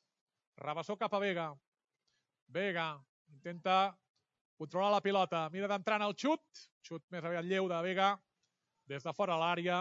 Rabassó cap a Vega. Vega, intenta controlar la pilota, mira d'entrar en el xut. Xut més aviat lleu de Vega. Des de fora l'àrea.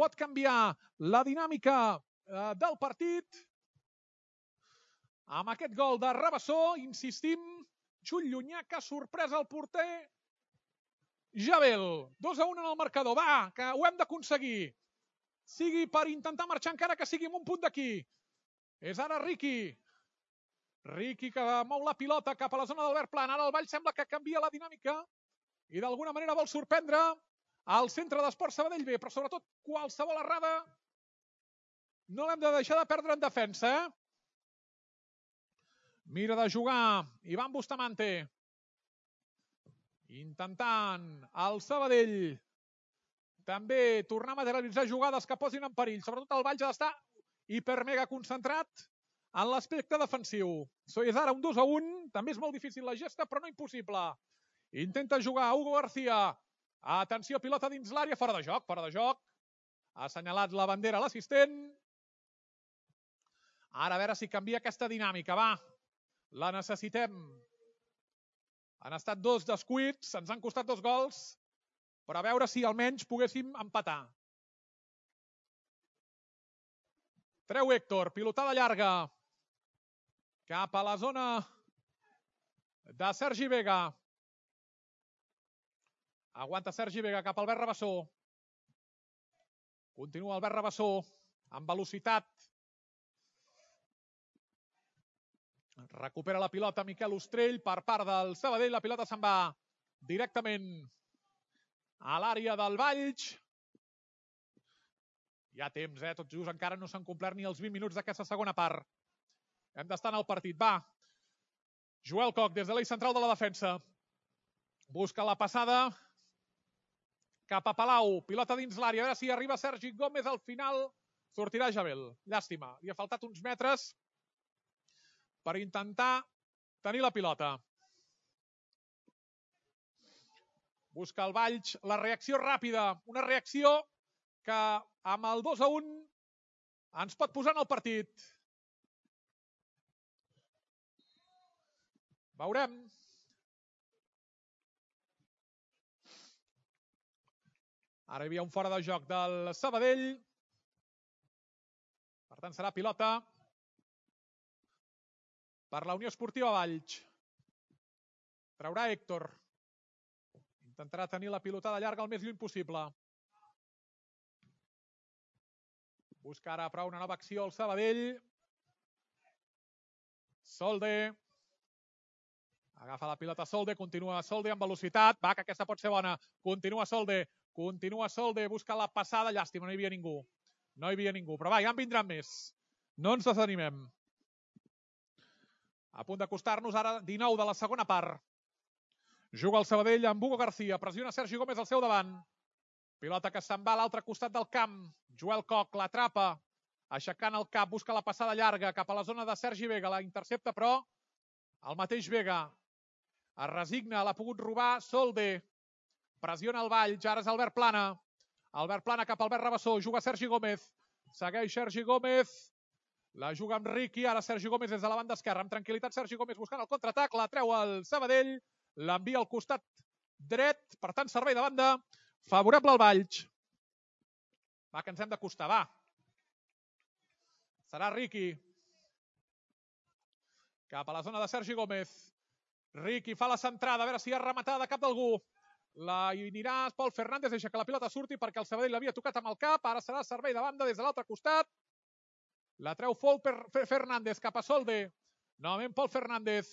pot canviar la dinàmica del partit. Amb aquest gol de Rabassó, insistim, xut llunyà que ha sorprès el porter Jabel. dos a un en el marcador. Va, que ho hem d'aconseguir. Sigui per intentar marxar encara que sigui amb un punt d'aquí. És ara Riqui. Riqui que mou la pilota cap a la zona d'Albert Pla. Ara el Vall sembla que canvia la dinàmica i d'alguna manera vol sorprendre al centre d'Esport Sabadell B, però sobretot qualsevol errada no l'hem de deixar de perdre en defensa. Eh? Mira de jugar Ivan Bustamante. Intentant el Sabadell també tornar a materialitzar jugades que posin en perill. Sobretot el Valls ha d'estar hipermega concentrat en l'aspecte defensiu. És ara un dos a un. També és molt difícil la gesta, però no impossible. Intenta jugar Hugo García. Atenció, pilota dins l'àrea. Fora de joc, fora de joc. Ha assenyalat la bandera a l'assistent. Ara a veure si canvia aquesta dinàmica. Va, la necessitem. Han estat dos descuits, ens han costat dos gols, però a veure si almenys poguéssim empatar. Treu Héctor, pilotada llarga cap a la zona de Sergi Vega. Aguanta Sergi Vega cap al Albert Rabassó. Continua Albert Rabassó amb velocitat. Recupera la pilota Miquel Ostrell per part del Sabadell. La pilota se'n va directament a l'àrea del Valls. Hi ha temps, eh? Tot just encara no s'han complert ni els vint minuts d'aquesta segona part. Hem d'estar en el partit. Va. Joel Coc des de l'eix central de la defensa. Busca la passada cap a Palau. Pilota dins l'àrea. A veure si arriba Sergi Gómez. Al final sortirà Jabel. Llàstima. Li ha faltat uns metres per intentar tenir la pilota. Busca el Valls la reacció ràpida. Una reacció que amb el dos a un ens pot posar en el partit. Veurem. Ara hi havia un fora de joc del Sabadell. Per tant, serà pilota per la Unió Esportiva Valls. Traurà Héctor. Intentarà tenir la pilotada llarga el més lluny possible. Busca ara però una nova acció al Sabadell. Solde. Agafa la pilota Solde. Continua Solde amb velocitat. Va, que aquesta pot ser bona. Continua Solde. Continua Solde. Busca la passada. Llàstima, no hi havia ningú. No hi havia ningú. Però va, ja en vindran més. No ens desanimem. A punt d'acostar-nos ara dinou de la segona part. Juga el Sabadell amb Hugo García. Pressiona Sergi Gómez al seu davant. Pilota que se'n va a l'altre costat del camp. Joel Coc l'atrapa. Aixecant el cap. Busca la passada llarga cap a la zona de Sergi Vega. La intercepta, però el mateix Vega es resigna. L'ha pogut robar Solde. Pressiona el Valls. Ara és Albert Plana. Albert Plana cap al Albert Rabassó. Juga Sergi Gómez. Segueix Sergi Gómez. La juga amb Riqui, ara Sergi Gómez des de la banda esquerra. Amb tranquil·litat Sergi Gómez buscant el contraatac. La treu el Sabadell. L'envia al costat dret. Per tant, servei de banda favorable al Valls. Va, que ens hem d'acostar, va. Serà Riqui. Cap a la zona de Sergi Gómez. Riqui fa la centrada, a veure si ha rematada de cap d'algú. La anirà Pol Fernández, deixa que la pilota surti perquè el Sabadell l'havia tocat amb el cap. Ara serà servei de banda des de l'altre costat. La treu Pol Fernández cap a Solde. Novament Pol Fernández.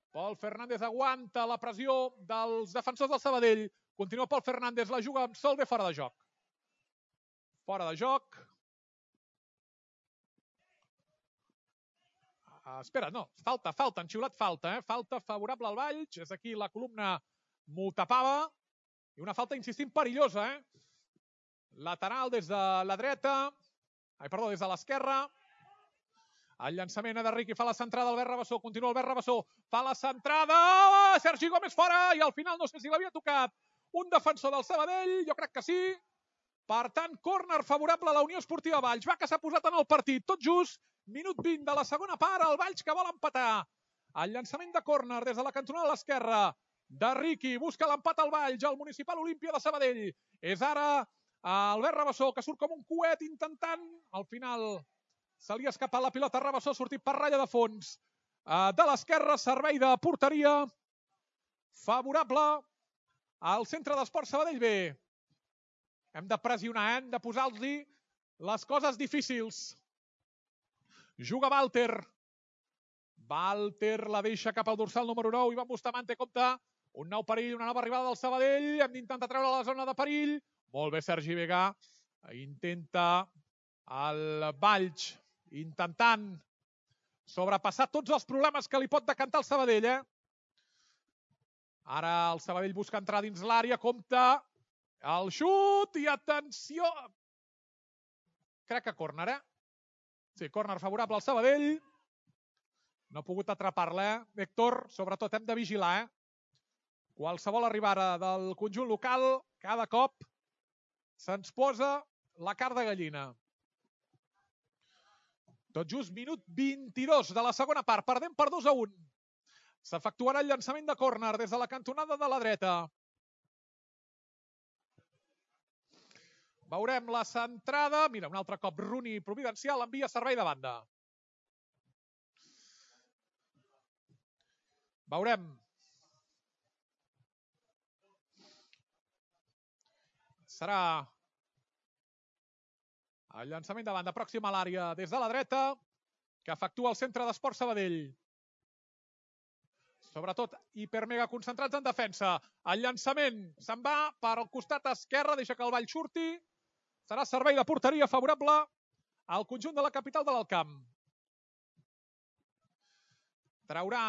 Pol Fernández aguanta la pressió dels defensors del Sabadell. Continua Pol Fernández, la juga amb Solde fora de joc. Fora de joc. Uh, espera, no, falta, falta, han xiulat falta, eh? Falta favorable al Valls. És aquí la columna m'ho tapava. I una falta, insistim, perillosa, eh? Lateral des de la dreta. Ai, perdó, des de l'esquerra. El llançament de Riqui, fa la centrada Albert Rabassó, continua Albert Rabassó, fa la centrada, Sergi Gómez fora, i al final no sé si l'havia tocat un defensor del Sabadell, jo crec que sí. Per tant, córner favorable a la Unió Esportiva Valls, va, que s'ha posat en el partit, tot just, minut vint de la segona part, el Valls que vol empatar. El llançament de córner des de la cantonada a l'esquerra de Riqui, busca l'empat al Valls, el Municipal Olímpia de Sabadell. És ara Albert Rabassó, que surt com un coet intentant. Al final se li ha escapat la pilota a Rabassó, sortit per ratlla de fons. De l'esquerra, servei de porteria favorable al centre d'Esports Sabadell B. Hem de pressionar, hem de posar-los les coses difícils. Juga Walter. Walter la deixa cap al dorsal número nou. Ivan Bustamante compta un nou perill, una nova arribada del Sabadell. Hem d'intentar treure la zona de perill. Molt bé, Sergi Vega. Intenta el Valls, intentant sobrepassar tots els problemes que li pot decantar el Sabadell. Eh? Ara el Sabadell busca entrar dins l'àrea. Compta el xut i atenció. Crec que córner, eh? Sí, córner favorable al Sabadell. No ha pogut atrapar-la, eh? Héctor, sobretot hem de vigilar, eh? Qualsevol arribada del conjunt local, cada cop se'ns posa la carn de gallina. Tot just minut vint-i-dos de la segona part. Perdem per dos a un. S'efectuarà el llançament de córner des de la cantonada de la dreta. Veurem la centrada. Mira, un altre cop Rooney providencial envia servei de banda. Veurem. Serà el llançament de banda pròxim a l'àrea des de la dreta que efectua el centre d'Esports Sabadell. Sobretot hipermega concentrats en defensa. El llançament se'n va per al costat esquerre, deixa que el Vall surti. Serà servei de porteria favorable al conjunt de la capital de l'Alt Camp. Traurà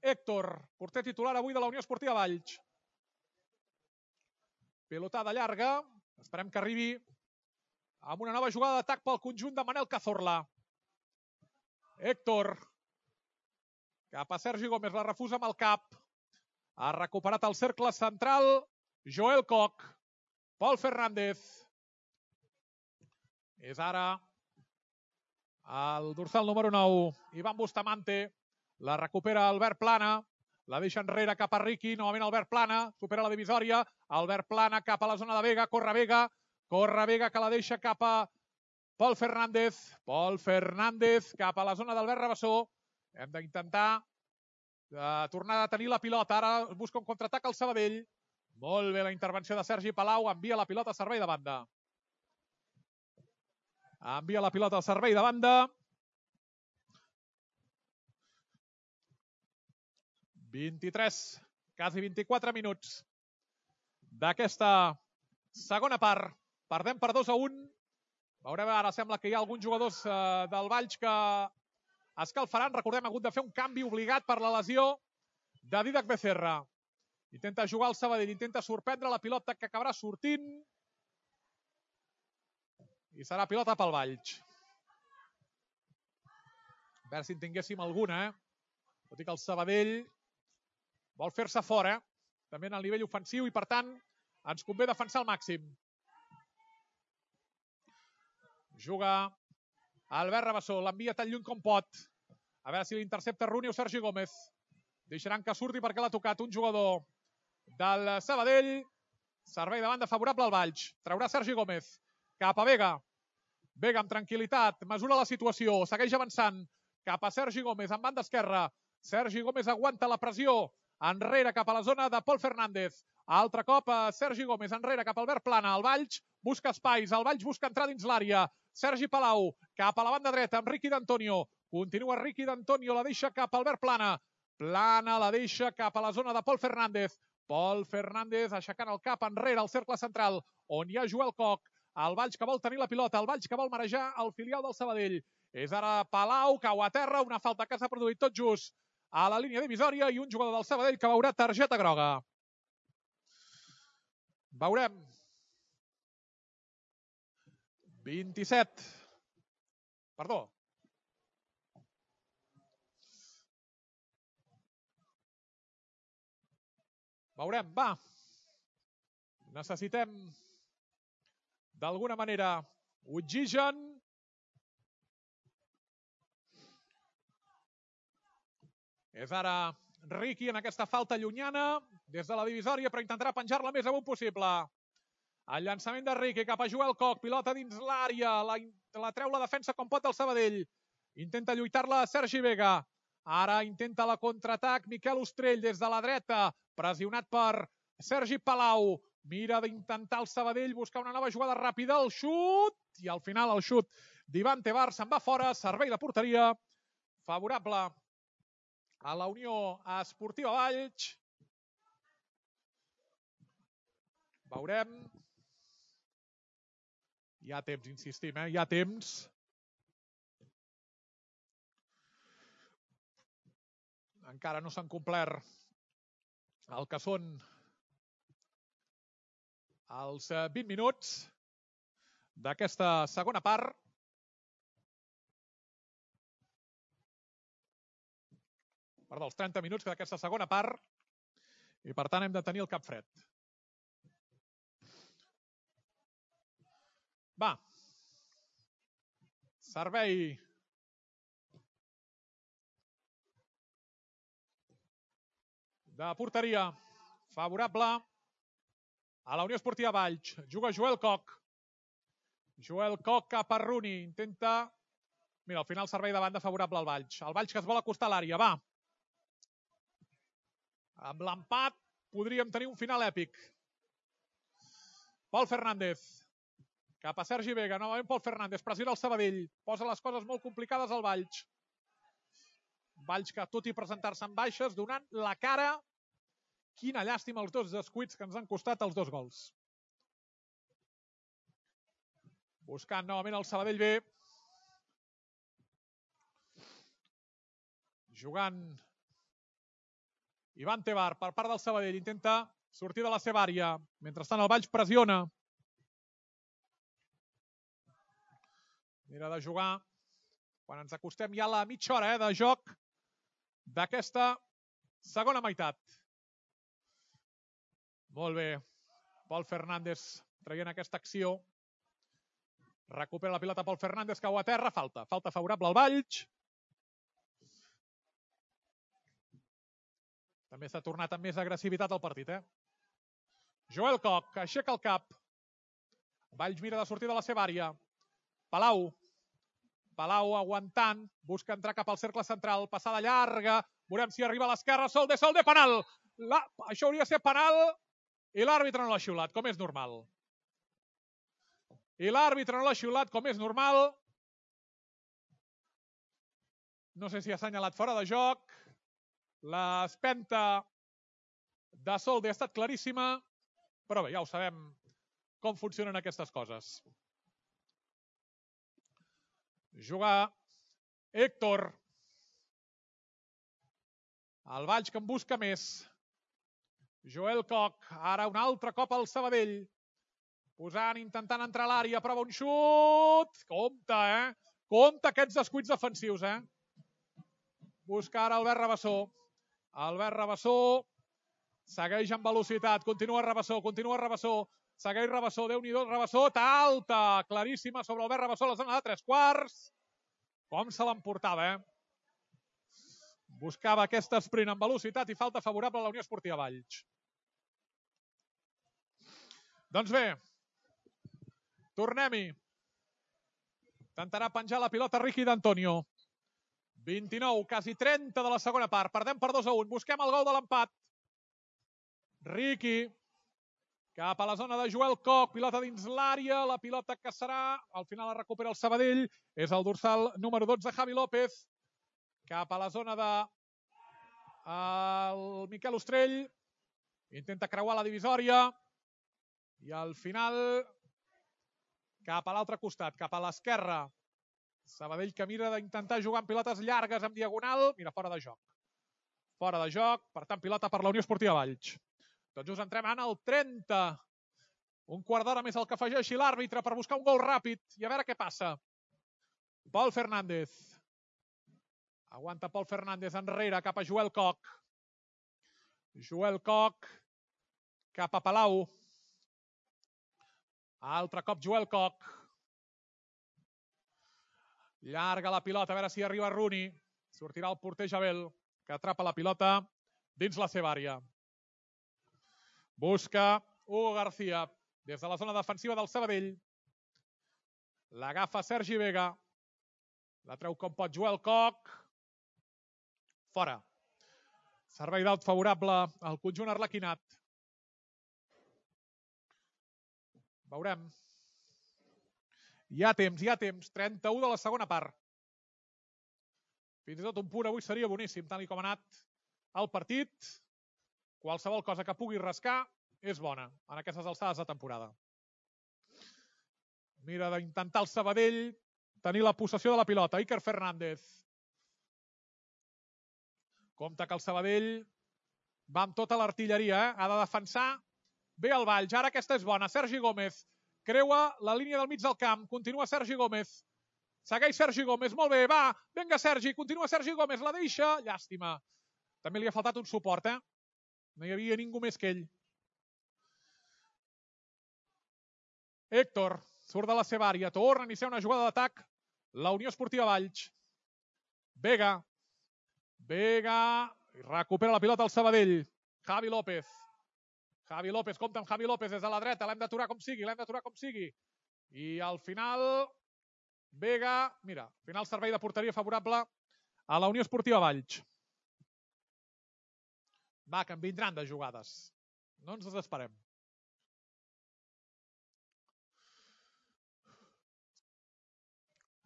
Héctor, porter titular avui de la Unió Esportiva Valls. Pilotada llarga. Esperem que arribi amb una nova jugada d'atac pel conjunt de Manel Cazorla. Héctor. Cap a Sergi Gómez, la refusa amb el cap. Ha recuperat el cercle central Joel Koch. Pol Fernández. És ara el dorsal número nou. Ivan Bustamante. La recupera Albert Plana. La deixa enrere cap a Riqui. Novament Albert Plana. Supera la divisòria. Albert Plana cap a la zona de Vega. Corre Vega. Corre Vega que la deixa cap a Pol Fernández. Pol Fernández cap a la zona d'Albert Rabassó. Hem d'intentar uh, tornar a tenir la pilota. Ara busca un contraatac al Sabadell. Molt bé la intervenció de Sergi Palau. Envia la pilota a servei de banda. Envia la pilota al servei de banda. vint-i-tres, quasi vint-i-quatre minuts d'aquesta segona part. Perdem per dos a un. Veurem, ara sembla que hi ha alguns jugadors uh, del Valls que escalfaran. Recordem, ha hagut de fer un canvi obligat per la lesió de Didac Becerra. Intenta jugar el Sabadell, intenta sorprendre la pilota que acabarà sortint. I serà pilota pel Valls. A veure si en tinguéssim alguna, eh? Tot i que el Sabadell vol fer-se fora, també en el nivell ofensiu, i per tant ens convé defensar al màxim. Juga Albert Rabassó, l'envia tan lluny com pot. A veure si l'intercepta Rooney o Sergi Gómez. Deixaran que surti perquè l'ha tocat un jugador del Sabadell. Servei de banda favorable al Valls. Traurà Sergi Gómez cap a Vega. Vega amb tranquil·litat, mesura la situació, segueix avançant cap a Sergi Gómez en banda esquerra. Sergi Gómez aguanta la pressió. Enrere cap a la zona de Pol Fernández. Altre cop a Sergi Gómez, enrere cap a Albert Plana. El Valls busca espais, el Valls busca entrar dins l'àrea. Sergi Palau cap a la banda dreta amb Riqui d'Antonio. Continua Riqui d'Antonio, la deixa cap a Albert Plana. Plana la deixa cap a la zona de Pol Fernández. Pol Fernández aixecant el cap enrere al cercle central on hi ha Joel Koch. El Valls que vol tenir la pilota, el Valls que vol marejar el filial del Sabadell. És ara Palau, cau a terra, una falta que s'ha produït tot just a la línia divisòria i un jugador del Sabadell que veurà targeta groga. Veurem. vint-i-set. Perdó. Veurem, va. Necessitem d'alguna manera oxigen. És ara Riqui en aquesta falta llunyana des de la divisòria, però intentarà penjar-la més amunt possible. El llançament de Riqui cap a Joel Coc, pilota dins l'àrea, la, la treu la defensa com pot el Sabadell. Intenta lluitar-la Sergi Vega. Ara intenta la contraatac Miquel Ostrell des de la dreta, pressionat per Sergi Palau. Mira d'intentar el Sabadell buscar una nova jugada ràpida, el xut, i al final el xut d'Ivan Tebar se'n va fora, servei de porteria favorable a la Unió Esportiva Valls. Veurem. Hi ha temps, insistim, eh? Hi ha temps. Encara no s'han complert el que són els vint minuts d'aquesta segona part. Perdó, els trenta minuts d'aquesta segona part. I per tant hem de tenir el cap fred. Va. Servei de porteria favorable a la Unió Esportiva Valls. Juga Joel Coc. Joel Coc cap a Rooney. Intenta... Mira, al final servei de banda favorable al Valls. El Valls que es vol acostar a l'àrea. Va. Amb l'empat podríem tenir un final èpic. Pol Fernández. Cap a Sergi Vega. Novament Pol Fernández. Pressiona el Sabadell. Posa les coses molt complicades al Valls. Valls que, tot i presentar-se en baixes, donant la cara. Quina llàstima els dos descuits que ens han costat els dos gols. Buscant novament el Sabadell B. Jugant Ivan Tebar per part del Sabadell. Intenta sortir de la seva àrea. Mentrestant el Valls pressiona. Mira de jugar. Quan ens acostem ja a la mitja hora eh, de joc d'aquesta segona meitat. Molt bé. Pol Fernández traient aquesta acció. Recupera la pilota Pol Fernández, cau a terra. Falta. Falta favorable al Valls. També s'ha tornat amb més agressivitat al partit. Eh? Joel Coc aixeca el cap. Valls mira de sortir de la seva àrea. Palau. Palau aguantant. Busca entrar cap al cercle central. Passada llarga. Veurem si arriba a l'esquerra. Sol de sol de penal. La... Això hauria de ser penal. I l'àrbitre no l'ha xiulat, com és normal. I l'àrbitre no l'ha xiulat, com és normal. No sé si ha assenyalat fora de joc. L'espenta de Solde ha estat claríssima. Però bé, ja ho sabem com funcionen aquestes coses. Juga Héctor. El Valls que en busca més. Joel Coc, ara un altre cop al Sabadell. Posant, intentant entrar a l'àrea, prova un xut. Compte, eh? Compte aquests descuits defensius, eh? Busca ara Albert Rabassó. Albert Rabassó segueix amb velocitat. Continua Rabassó, continua Rabassó. Segueix Rabassó, Déu-n'hi-do, Rabassó. Alta, claríssima sobre Albert Rabassó a la zona de tres quarts. Com se l'emportava, eh? Buscava aquest sprint amb velocitat i falta favorable a la Unió Esportiva Valls. Doncs bé, tornem-hi. Intentarà penjar la pilota Riqui d'Antonio. vint-i-nou, quasi trenta de la segona part. Perdem per dos a un. Busquem el gol de l'empat. Riqui cap a la zona de Joel Coc. Pilota dins l'àrea. La pilota que serà, al final la recupera el Sabadell. És el dorsal número dotze, Javi López. Cap a la zona de el Miquel Ostrell. Intenta creuar la divisòria. I al final cap a l'altre costat, cap a l'esquerra. Sabadell que mira d'intentar jugar amb pilotes llargues en diagonal. Mira, fora de joc. Fora de joc. Per tant, pilota per la Unió Esportiva Valls. Tots just entrem en el trenta. Un quart d'hora més el que afegeixi l'àrbitre per buscar un gol ràpid. I a veure què passa. Pol Fernández. Aguanta Pol Fernández enrere cap a Joel Coc. Joel Coc cap a Palau. Altre cop Joel Coc. Llarga la pilota, a veure si arriba Rooney. Sortirà el porter Jabel, que atrapa la pilota dins la seva àrea. Busca Hugo García. des de la zona defensiva del Sabadell. L'agafa Sergi Vega. La treu com pot Joel Coc. Fora. Servei d'alt favorable al conjunt arlequinat. Veurem. Hi ha temps, hi ha temps. trenta-u de la segona part. Fins i tot un punt avui seria boníssim, tal com ha anat el partit. Qualsevol cosa que pugui rascar és bona en aquestes alçades de temporada. Mira d'intentar el Sabadell tenir la possessió de la pilota. Iker Fernández. Compte que el Sabadell va amb tota l'artilleria, eh? Ha de defensar bé el Valls. Ara aquesta és bona. Sergi Gómez creua la línia del mig del camp. Continua Sergi Gómez. Segueix Sergi Gómez. Molt bé, va. Vinga, Sergi. Continua Sergi Gómez. La deixa. Llàstima. També li ha faltat un suport, eh? No hi havia ningú més que ell. Héctor surt de la seva àrea. Torna a iniciar una jugada d'atac. La Unió Esportiva Valls. Vega. Vega. Recupera la pilota al Sabadell. Javi López. Javi López. Compte amb Javi López des de la dreta. L'hem d'aturar com sigui. L'hem d'aturar com sigui. I al final... Vega. Mira, al final servei de porteria favorable a la Unió Esportiva Valls. Va, que en vindran de jugades. No ens desesperem.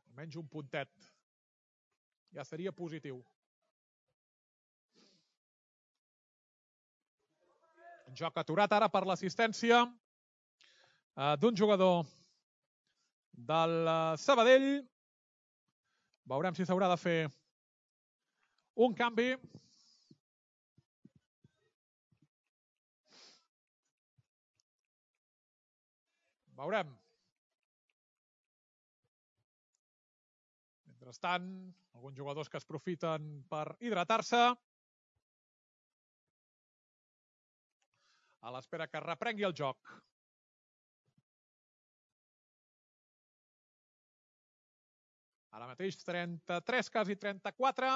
Almenys un puntet. Ja seria positiu. Joc aturat ara per l'assistència d'un jugador del Sabadell. Veurem si s'haurà de fer un canvi. Veurem. Mentrestant, alguns jugadors que es profiten per hidratar-se. A l'espera que reprengui el joc. Ara mateix trenta-tres, quasi trenta-quatre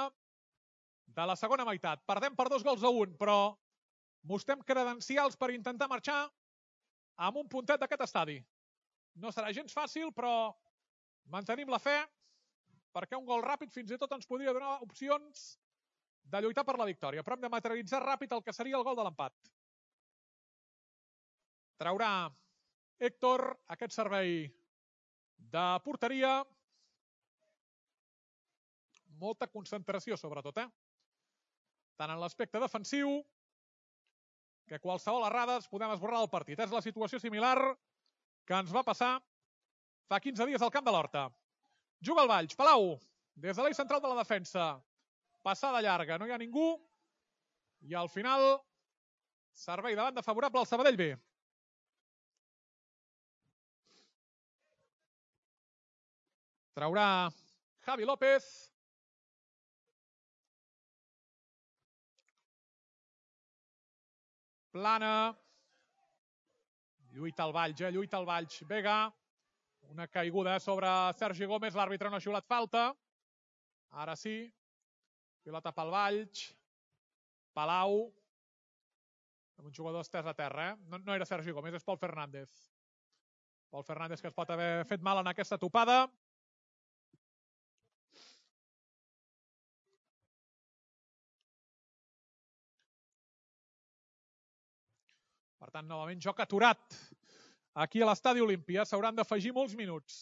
de la segona meitat. Perdem per dos gols a un, però mostrem credencials per intentar marxar amb un puntet d'aquest estadi. No serà gens fàcil, però mantenim la fe, perquè un gol ràpid fins i tot ens podria donar opcions de lluitar per la victòria, però hem de materialitzar ràpid el que seria el gol de l'empat. Traurà Héctor aquest servei de porteria. Molta concentració, sobretot, eh? Tant en l'aspecte defensiu que qualsevol errada es podem esborrar del partit. És la situació similar que ens va passar fa quinze dies al Camp de l'Horta. Juga el Valls. Palau, des de l'eix central de la defensa. Passada llarga, no hi ha ningú. I al final, servei de banda favorable al Sabadell B. Traurà Javi López. Plana. Lluita el Valls, eh? Lluita el Valls. Vega. Una caiguda sobre Sergi Gómez. L'àrbitre no ha xiulat falta. Ara sí. Pilota pel Valls. Palau. Amb un jugador estès a terra, eh? No, no era Sergi Gómez, és Pol Fernández. Pol Fernández que es pot haver fet mal en aquesta topada. Per tant, novament, joc aturat. Aquí a l'Estadi Olímpia s'hauran d'afegir molts minuts.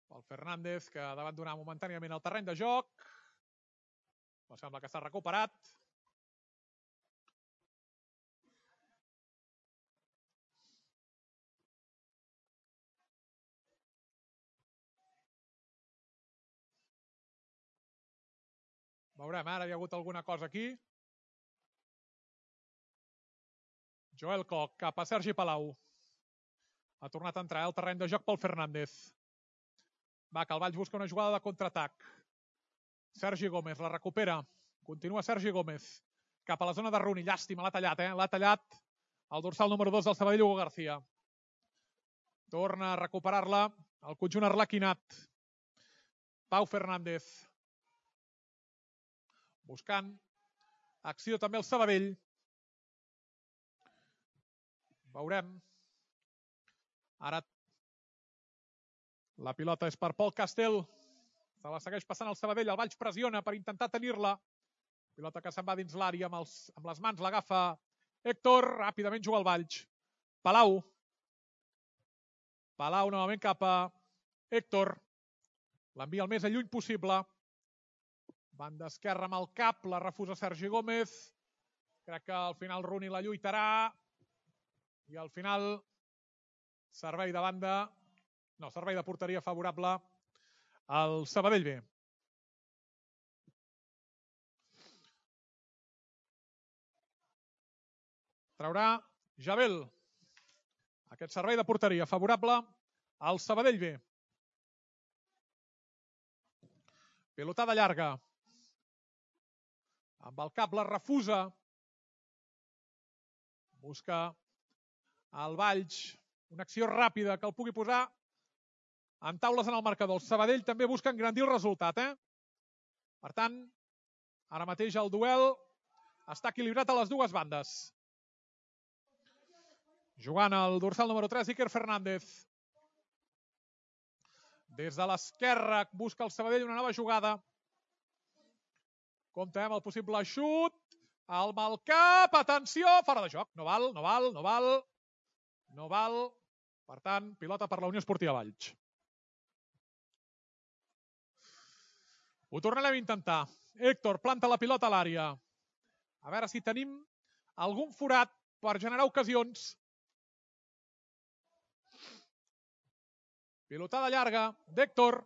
Pol Fernández, que ha d'abandonar momentàniament el terreny de joc. Però sembla que s'ha recuperat. Veurem, ara hi ha hagut alguna cosa aquí. Joel Coc cap a Sergi Palau. Ha tornat a entrar al terreny de joc Pol Fernández. Va, que el Valls busca una jugada de contraatac. Sergi Gómez la recupera. Continua Sergi Gómez. Cap a la zona de Runi. Llàstima, l'ha tallat, eh? L'ha tallat el dorsal número dos del Sabadell, Hugo García. Torna a recuperar-la el conjunt arlequinat. Pau Fernández. Buscant Acció també el Sabadell. Veurem. Ara la pilota és per Pol Castel. Se la segueix passant el Sabadell. El Valls pressiona per intentar tenir-la. Pilota que se'n va dins l'àrea amb, els, amb les mans. L'agafa Héctor. Ràpidament juga el Valls. Palau. Palau novament cap a Héctor. L'envia el més lluny possible. Banda esquerra amb el cap. La refusa Sergi Gómez. Crec que al final Rooney la lluitarà. I al final servei de banda. No, servei de porteria favorable al Sabadell B. Traurà Jabel. Aquest servei de porteria favorable al Sabadell B. Pilotada llarga. Amb el cap la refusa. Busca el Valls. Una acció ràpida que el pugui posar en taules en el marcador. El Sabadell també busca engrandir el resultat. Eh? Per tant, ara mateix el duel està equilibrat a les dues bandes. Jugant el dorsal número tres, Iker Fernández. Des de l'esquerra busca el Sabadell una nova jugada. Compte amb el possible xut. El mal cap, atenció, fora de joc. No val, no val, no val. No val. Per tant, pilota per la Unió Esportiva Valls. Ho tornarem a intentar. Héctor planta la pilota a l'àrea. A veure si tenim algun forat per generar ocasions. Pilotada llarga d'Héctor.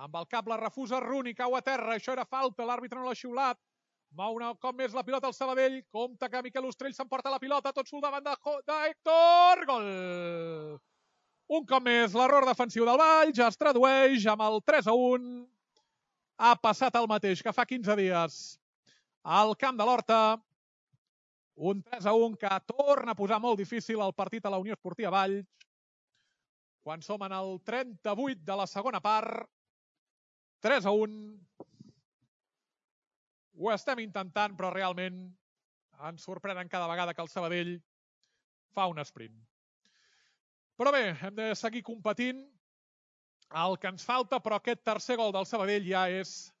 Amb el cap la refusa Rooney, cau a terra. Això era falta, l'àrbitre no l'ha xiulat. Mou un cop més la pilota al Sabadell. Compte que Miquel Ostrell s'emporta la pilota. Tot sul davant d'Héctor. Gol! Un cop més l'error defensiu del Valls. Es tradueix amb el tres a un. Ha passat el mateix que fa quinze dies al camp de l'Horta. Un tres a un que torna a posar molt difícil el partit a la Unió Esportiva Valls. Quan som en el trenta-vuit de la segona part. tres a un. Ho estem intentant, però realment ens sorprenen cada vegada que el Sabadell fa un sprint. Però bé, hem de seguir competint. El que ens falta, però aquest tercer gol del Sabadell ja és,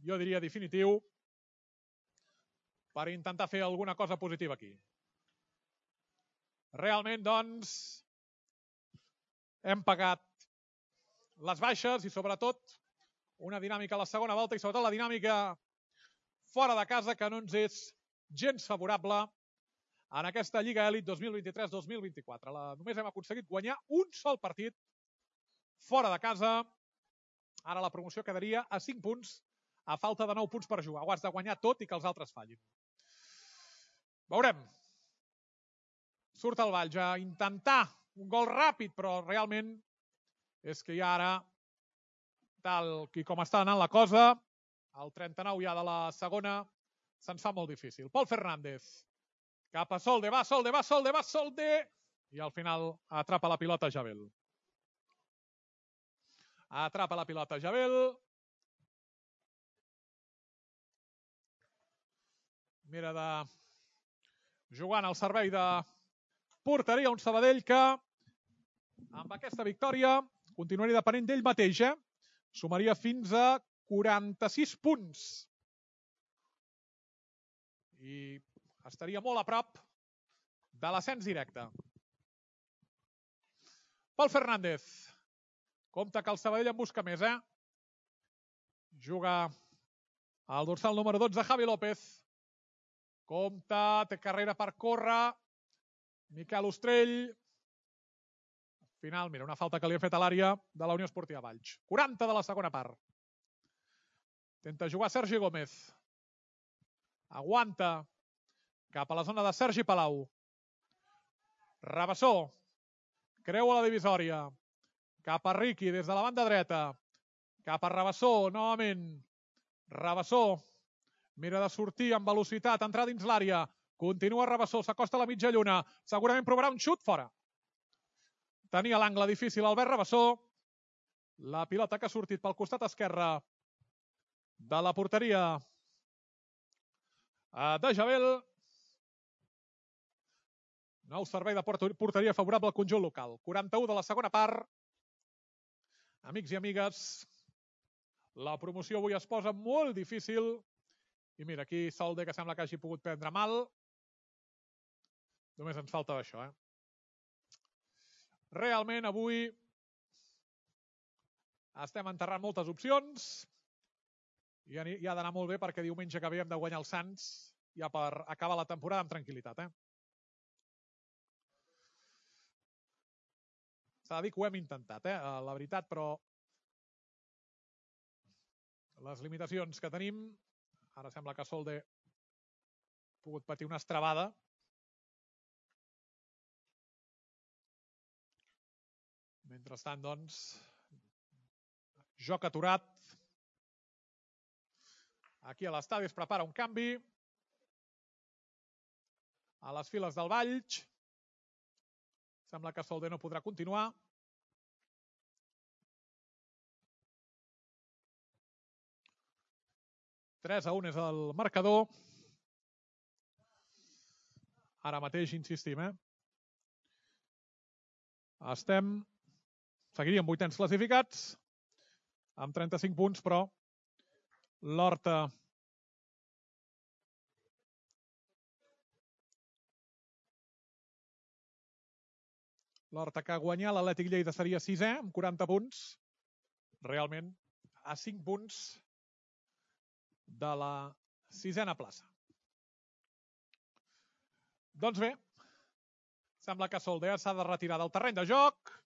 jo diria, definitiu per intentar fer alguna cosa positiva aquí. Realment, doncs, hem pagat les baixes i, sobretot, una dinàmica a la segona volta i, sobretot, la dinàmica fora de casa, que no ens és gens favorable en aquesta Lliga Elit dos mil vint-i-tres dos mil vint-i-quatre. La, només hem aconseguit guanyar un sol partit fora de casa. Ara la promoció quedaria a cinc punts, a falta de nou punts per jugar. Ho has de guanyar tot i que els altres fallin. Veurem. Surt el Valls a intentar un gol ràpid, però realment és que ja ara, tal i com està anant la cosa, el trenta-nou ja de la segona, se'ns fa molt difícil. Pol Fernández, cap a Solde, va Solde, va Solde, va Solde, i al final atrapa la pilota Jabel. Atrapa la pilota Jabel. Mira de jugant al servei de porteria un Sabadell que amb aquesta victòria continuaria depenent d'ell mateix, eh? Sumaria fins a quaranta-sis punts. I estaria molt a prop de l'ascens directe. Pol Fernández. Compte que el Sabadell en busca més, eh? Juga al dorsal número dotze, Javi López. Compte, té carrera per córrer. Miquel Ostrell. Al final, mira, una falta que li ha fet a l'àrea de la Unió Esportiva Valls. quaranta de la segona part. Tenta jugar Sergi Gómez. Aguanta. Cap a la zona de Sergi Palau. Rabassó. Creua la divisòria. Cap a Riqui des de la banda dreta. Cap a Rabassó, novament. Rabassó. Mira de sortir amb velocitat, entrar dins l'àrea. Continua Rabassó, s'acosta a la mitja lluna. Segurament provarà un xut fora. Tenia l'angle difícil Albert Rabassó. La pilota que ha sortit pel costat esquerre de la porteria de Jabel. Nou servei de porteria favorable al conjunt local. quaranta-u de la segona part. Amics i amigues, la promoció avui es posa molt difícil. I mira, aquí Solde, que sembla que hagi pogut prendre mal. Només ens falta això, eh? Realment, avui estem enterrant moltes opcions i ha d'anar molt bé perquè diumenge que ve hem de guanyar el Sants ja per acabar la temporada amb tranquil·litat, eh? S'ha de dir que ho hem intentat, eh? La veritat, però les limitacions que tenim, ara sembla que Solde ha pogut patir una estrabada. Mentrestant, doncs, joc aturat. Aquí a l'estadi es prepara un canvi. A les files del Valls. Sembla que Solde no podrà continuar. tres a un és el marcador. Ara mateix insistim, eh? Estem... Seguiríem vuitens classificats amb trenta-cinc punts, però l'Horta l'Horta que ha guanyat l'Atlètic Lleida seria sisè amb quaranta punts. Realment a cinc punts de la sisena plaça. Doncs bé, sembla que Solde s'ha de retirar del terreny de joc.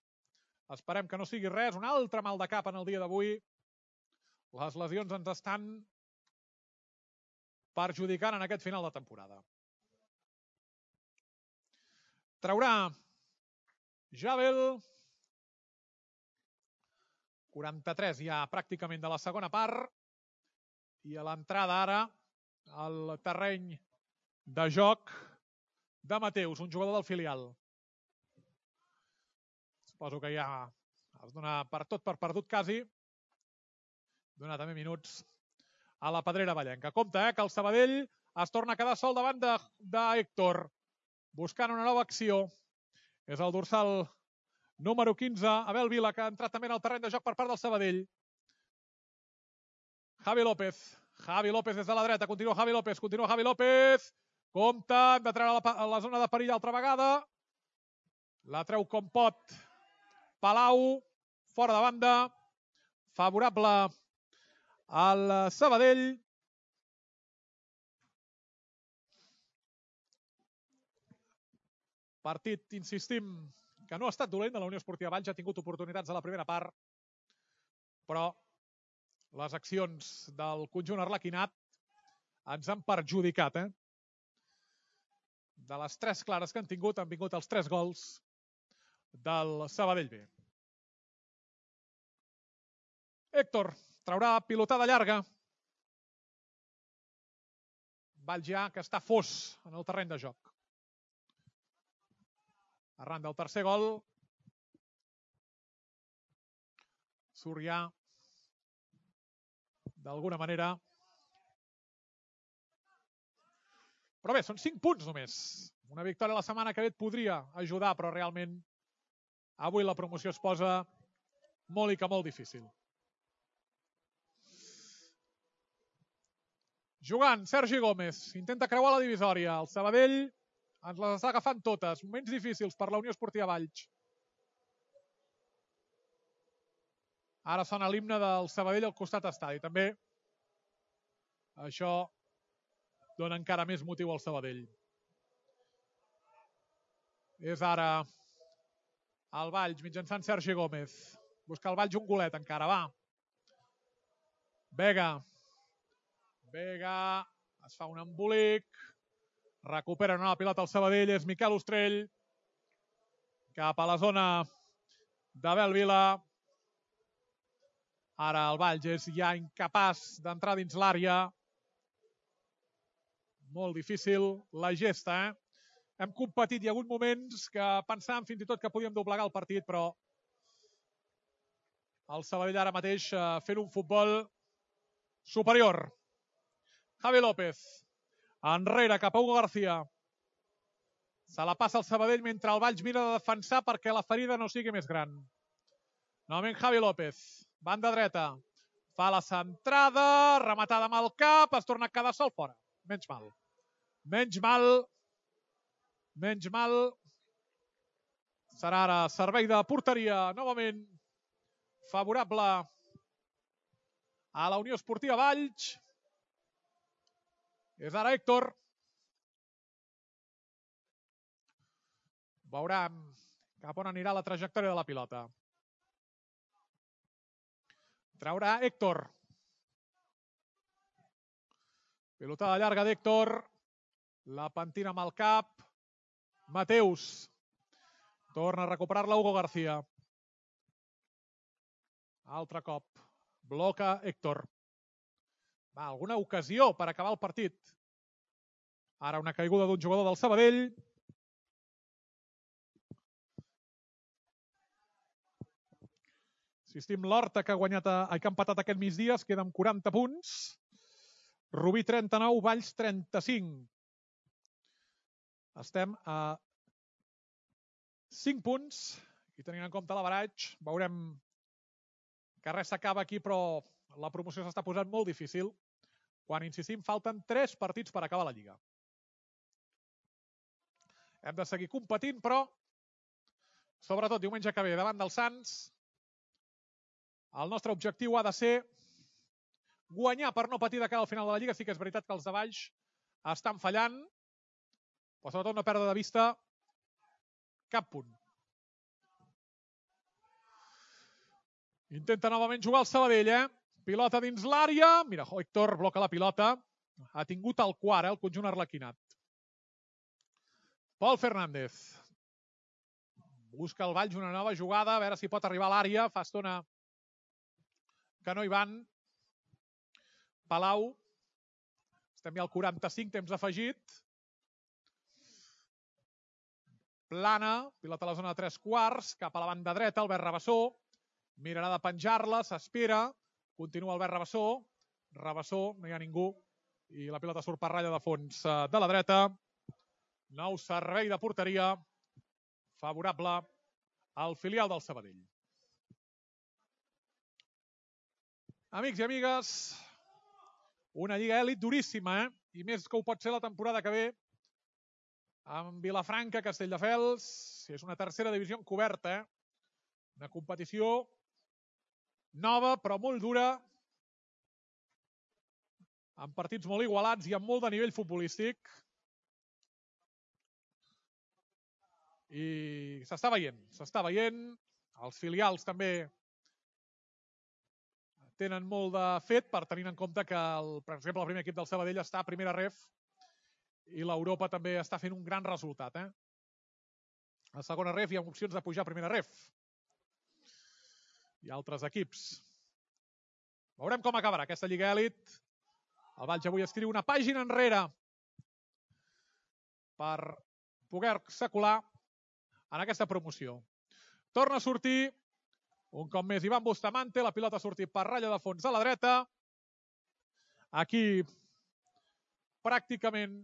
Esperem que no sigui res, un altre mal de cap en el dia d'avui. Les lesions ens estan perjudicant en aquest final de temporada. Traurà Jabel. quaranta-tres ja pràcticament de la segona part. I a l'entrada ara al terreny de joc de Mateus, un jugador del filial. Suposo que ja es dona per tot per perdut quasi. Dona també minuts a la pedrera vallenca. Compte, eh, que el Sabadell es torna a quedar sol davant d'Héctor. Buscant una nova acció. És el dorsal número quinze, Abel Vila, que ha entrat també en el terreny de joc per part del Sabadell. Javi López. Javi López des de la dreta. Continua Javi López. Continua Javi López. Compte, hem de treure a la zona de perill altra vegada. La treu com pot Palau. Fora de banda. Favorable al Sabadell. Partit, insistim, que no ha estat dolent de la Unió Esportiva Valls. Ha tingut oportunitats a la primera part, però les accions del conjunt arlequinat ens han perjudicat, eh? De les tres clares que han tingut, han vingut els tres gols del Sabadell B. Héctor traurà pilotada llarga. Valls ja que està fos en el terreny de joc. Arran del tercer gol. Surt ja d'alguna manera. Però bé, són cinc punts només. Una victòria la setmana que ve et podria ajudar, però realment avui la promoció es posa molt i que molt difícil. Jugant, Sergi Gómez. Intenta creuar la divisòria. El Sabadell ens les està agafant totes. Moments difícils per la Unió Esportiva Valls. Ara sona l'himne del Sabadell al costat estadi. També això dona encara més motiu al Sabadell. És ara el Valls mitjançant Sergi Gómez. Busca el Valls un golet encara, va. Vega. Vega. Es fa un embolic. Recupera una pilota al Sabadell. És Miquel Ostrell. Cap a la zona d'Abel Vila. Ara el Valls és ja incapaç d'entrar dins l'àrea. Molt difícil la gesta, eh? Hem competit, hi ha hagut moments que pensàvem fins i tot que podíem doblegar el partit, però el Sabadell ara mateix fent un futbol superior. Javi López. Enrere, cap a Hugo García. Se la passa el Sabadell mentre el Valls mira de defensar perquè la ferida no sigui més gran. Novament Javi López. Banda dreta. Fa la centrada, rematada amb el cap, es torna a quedar sol fora. Menys mal. Menys mal. Menys mal. Serà ara servei de porteria, novament favorable a la Unió Esportiva Valls. És ara Héctor. Veurem cap on anirà la trajectòria de la pilota. Traurà Héctor. Pilotada llarga d'Héctor. La pentina amb el cap. Mateus. Torna a recuperar-la Hugo García. Altre cop. Bloca Héctor. Va, alguna ocasió per acabar el partit. Ara una caiguda d'un jugador del Sabadell. Insistim, l'Horta, que ha guanyat, a, que ha empatat aquest migdia, es queda amb quaranta punts. Rubí trenta-nou, Valls trenta-cinc. Estem a cinc punts i tenint en compte l'average, veurem que res s'acaba aquí, però la promoció s'està posant molt difícil. Quan, insistim, falten tres partits per acabar la Lliga. Hem de seguir competint, però sobretot diumenge que ve davant dels Sants, el nostre objectiu ha de ser guanyar per no patir de cara al final de la Lliga. Sí que és veritat que els de baix estan fallant, però sobretot no perdre de vista cap punt. Intenta novament jugar el Sabadell, eh? Pilota dins l'àrea. Mira, Héctor bloca la pilota. Ha tingut el quart, eh? El conjunt arlequinat. Pol Fernández. Busca el Valls una nova jugada, a veure si pot arribar a l'àrea. Fa estona que no hi van. Palau. Estem ja al quaranta-cinc, temps afegit. Plana, pilota a la zona de tres quarts, cap a la banda dreta, Albert Rabassó. Mirarà de penjar-la, s'espera. Continua Albert Rabassó. Rabassó, no hi ha ningú. I la pilota surt per ratlla de fons de la dreta. Nou servei de porteria favorable al filial del Sabadell. Amics i amigues, una Lliga Elit duríssima, eh? I més que ho pot ser la temporada que ve amb Vilafranca, Castelldefels. És una tercera divisió encoberta, eh? Una competició nova, però molt dura, amb partits molt igualats i amb molt de nivell futbolístic. I s'està veient, s'està veient. Els filials també tenen molt de fet, per tenir en compte que, el, per exemple, el primer equip del Sabadell està a primera ref i l'Europa també està fent un gran resultat. Eh? A segona ref hi ha opcions de pujar a primera ref. Hi ha altres equips. Veurem com acabarà aquesta Lliga Elit. El Valls avui escriu una pàgina enrere per poder-se colar en aquesta promoció. Torna a sortir un cop més Ivan Bustamante, la pilota ha sortit per ratlla de fons a la dreta. Aquí pràcticament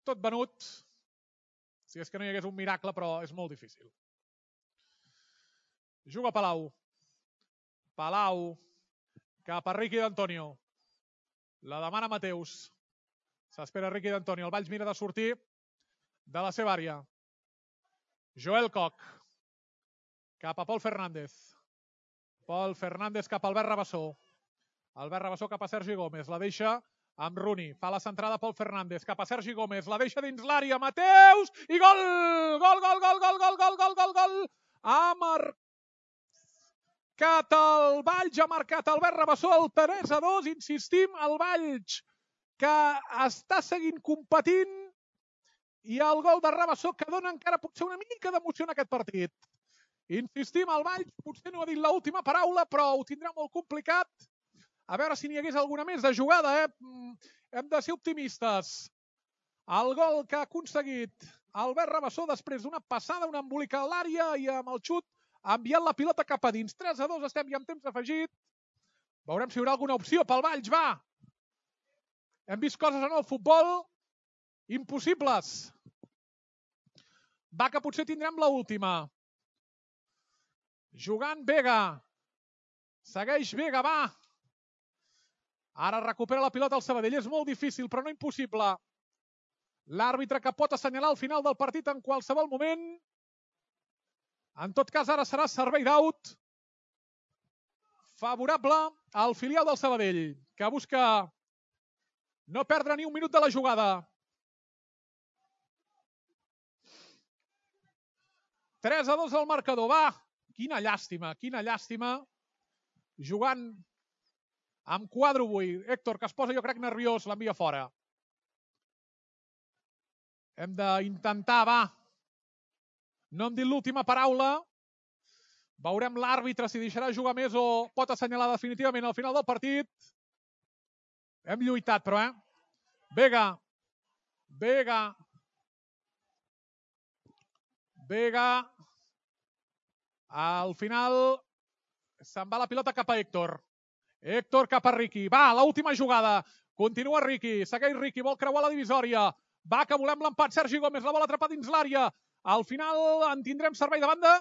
tot venut. Si és que no hi hagués un miracle, però és molt difícil. Juga Palau. Palau cap a Riqui d'Antonio. La demana Mateus. S'espera Riqui d'Antonio. El Valls mira de sortir de la seva àrea. Joel Koch. Cap a Pol Fernández. Pol Fernández cap a Albert Rabassó. Albert Rabassó cap a Sergi Gómez. La deixa amb Rooney. Fa la centrada Pol Fernández. Cap a Sergi Gómez. La deixa dins l'àrea. Mateus! I gol! Gol, gol, gol, gol, gol, gol, gol, gol, gol! Ha marcat el Valls. Ha marcat Albert Rabassó. El tres a dos. Insistim, el Valls que està seguint competint. I el gol de Rabassó que dona encara potser una mica d'emoció en aquest partit. Insistim, el Valls potser no ha dit l'última paraula, però ho tindrà molt complicat. A veure si n'hi hagués alguna més de jugada. Eh? Hem de ser optimistes. El gol que ha aconseguit Albert Rabassó després d'una passada, una embolica a l'àrea i amb el xut ha enviat la pilota cap a dins. tres a dos, estem ja amb temps afegit. Veurem si hi haurà alguna opció pel Valls, va! Hem vist coses en el futbol impossibles. Va, que potser tindrem l'última. Jugant Vega. Segueix Vega, va. Ara recupera la pilota el Sabadell. És molt difícil, però no impossible. L'àrbitre que pot assenyalar el final del partit en qualsevol moment. En tot cas, ara serà servei d'out favorable al filial del Sabadell, que busca no perdre ni un minut de la jugada. tres a dos al marcador, va. Quina llàstima, quina llàstima. Jugant amb quadre avui. Héctor, que es posa, jo crec, nerviós, l'envia fora. Hem d'intentar, va. No hem dit l'última paraula. Veurem l'àrbitre si deixarà jugar més o pot assenyalar definitivament al final del partit. Hem lluitat, però, eh? Vega. Vega. Vega. Al final se'n va la pilota cap a Héctor. Héctor cap a Riqui. Va, l'última jugada. Continua Riqui. Segueix Riqui. Vol creuar la divisòria. Va, que volem l'empat. Sergi Gómez la vol atrapar dins l'àrea. Al final en tindrem servei de banda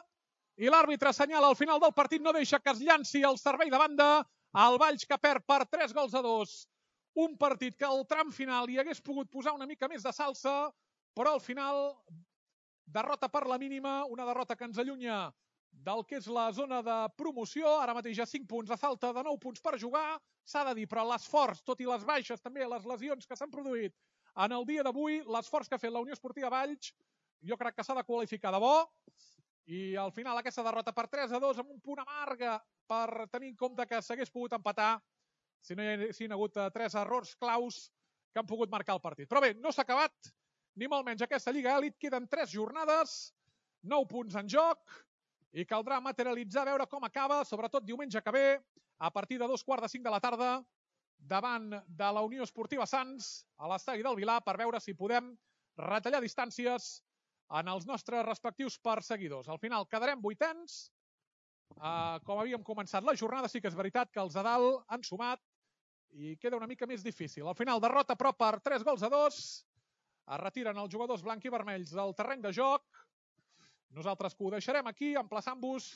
i l'àrbitre assenyala al final del partit, no deixa que es llanci el servei de banda. El Valls que perd per tres gols a dos. Un partit que al tram final hi hagués pogut posar una mica més de salsa, però al final derrota per la mínima, una derrota que ens allunya del que és la zona de promoció. Ara mateix hi ha cinc punts a falta de nou punts per jugar. S'ha de dir, però l'esforç, tot i les baixes, també les lesions que s'han produït en el dia d'avui, l'esforç que ha fet la Unió Esportiva Valls, jo crec que s'ha de qualificar de bo. I al final aquesta derrota per tres a dos amb un punt amarga per tenir en compte que s'hagués pogut empatar si no hi haguessin hagut tres errors claus que han pogut marcar el partit. Però bé, no s'ha acabat ni molt menys aquesta Lliga Elit. Queden tres jornades, nou punts en joc i caldrà materialitzar, veure com acaba, sobretot diumenge que ve, a partir de dos quarts de cinc de la tarda, davant de la Unió Esportiva Sants, a l'estadi del Vilar, per veure si podem retallar distàncies en els nostres respectius perseguidors. Al final quedarem vuitens. Uh, com havíem començat la jornada, sí que és veritat que els de dalt han sumat i queda una mica més difícil. Al final, derrota però per tres gols a dos. Es retiren els jugadors blanc i vermells del terreny de joc. Nosaltres que ho deixarem aquí, emplaçant-vos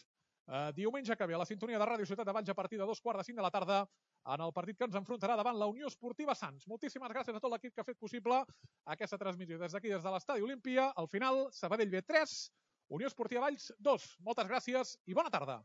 uh, diumenge que ve a la sintonia de Ràdio Ciutat de Valls a partir de dos quarts de cinc de la tarda en el partit que ens enfrontarà davant la Unió Esportiva Sants. Moltíssimes gràcies a tot l'equip que ha fet possible aquesta transmissió des d'aquí, des de l'Estadi Olímpia. Al final, Sabadell B tres, Unió Esportiva Valls dos. Moltes gràcies i bona tarda.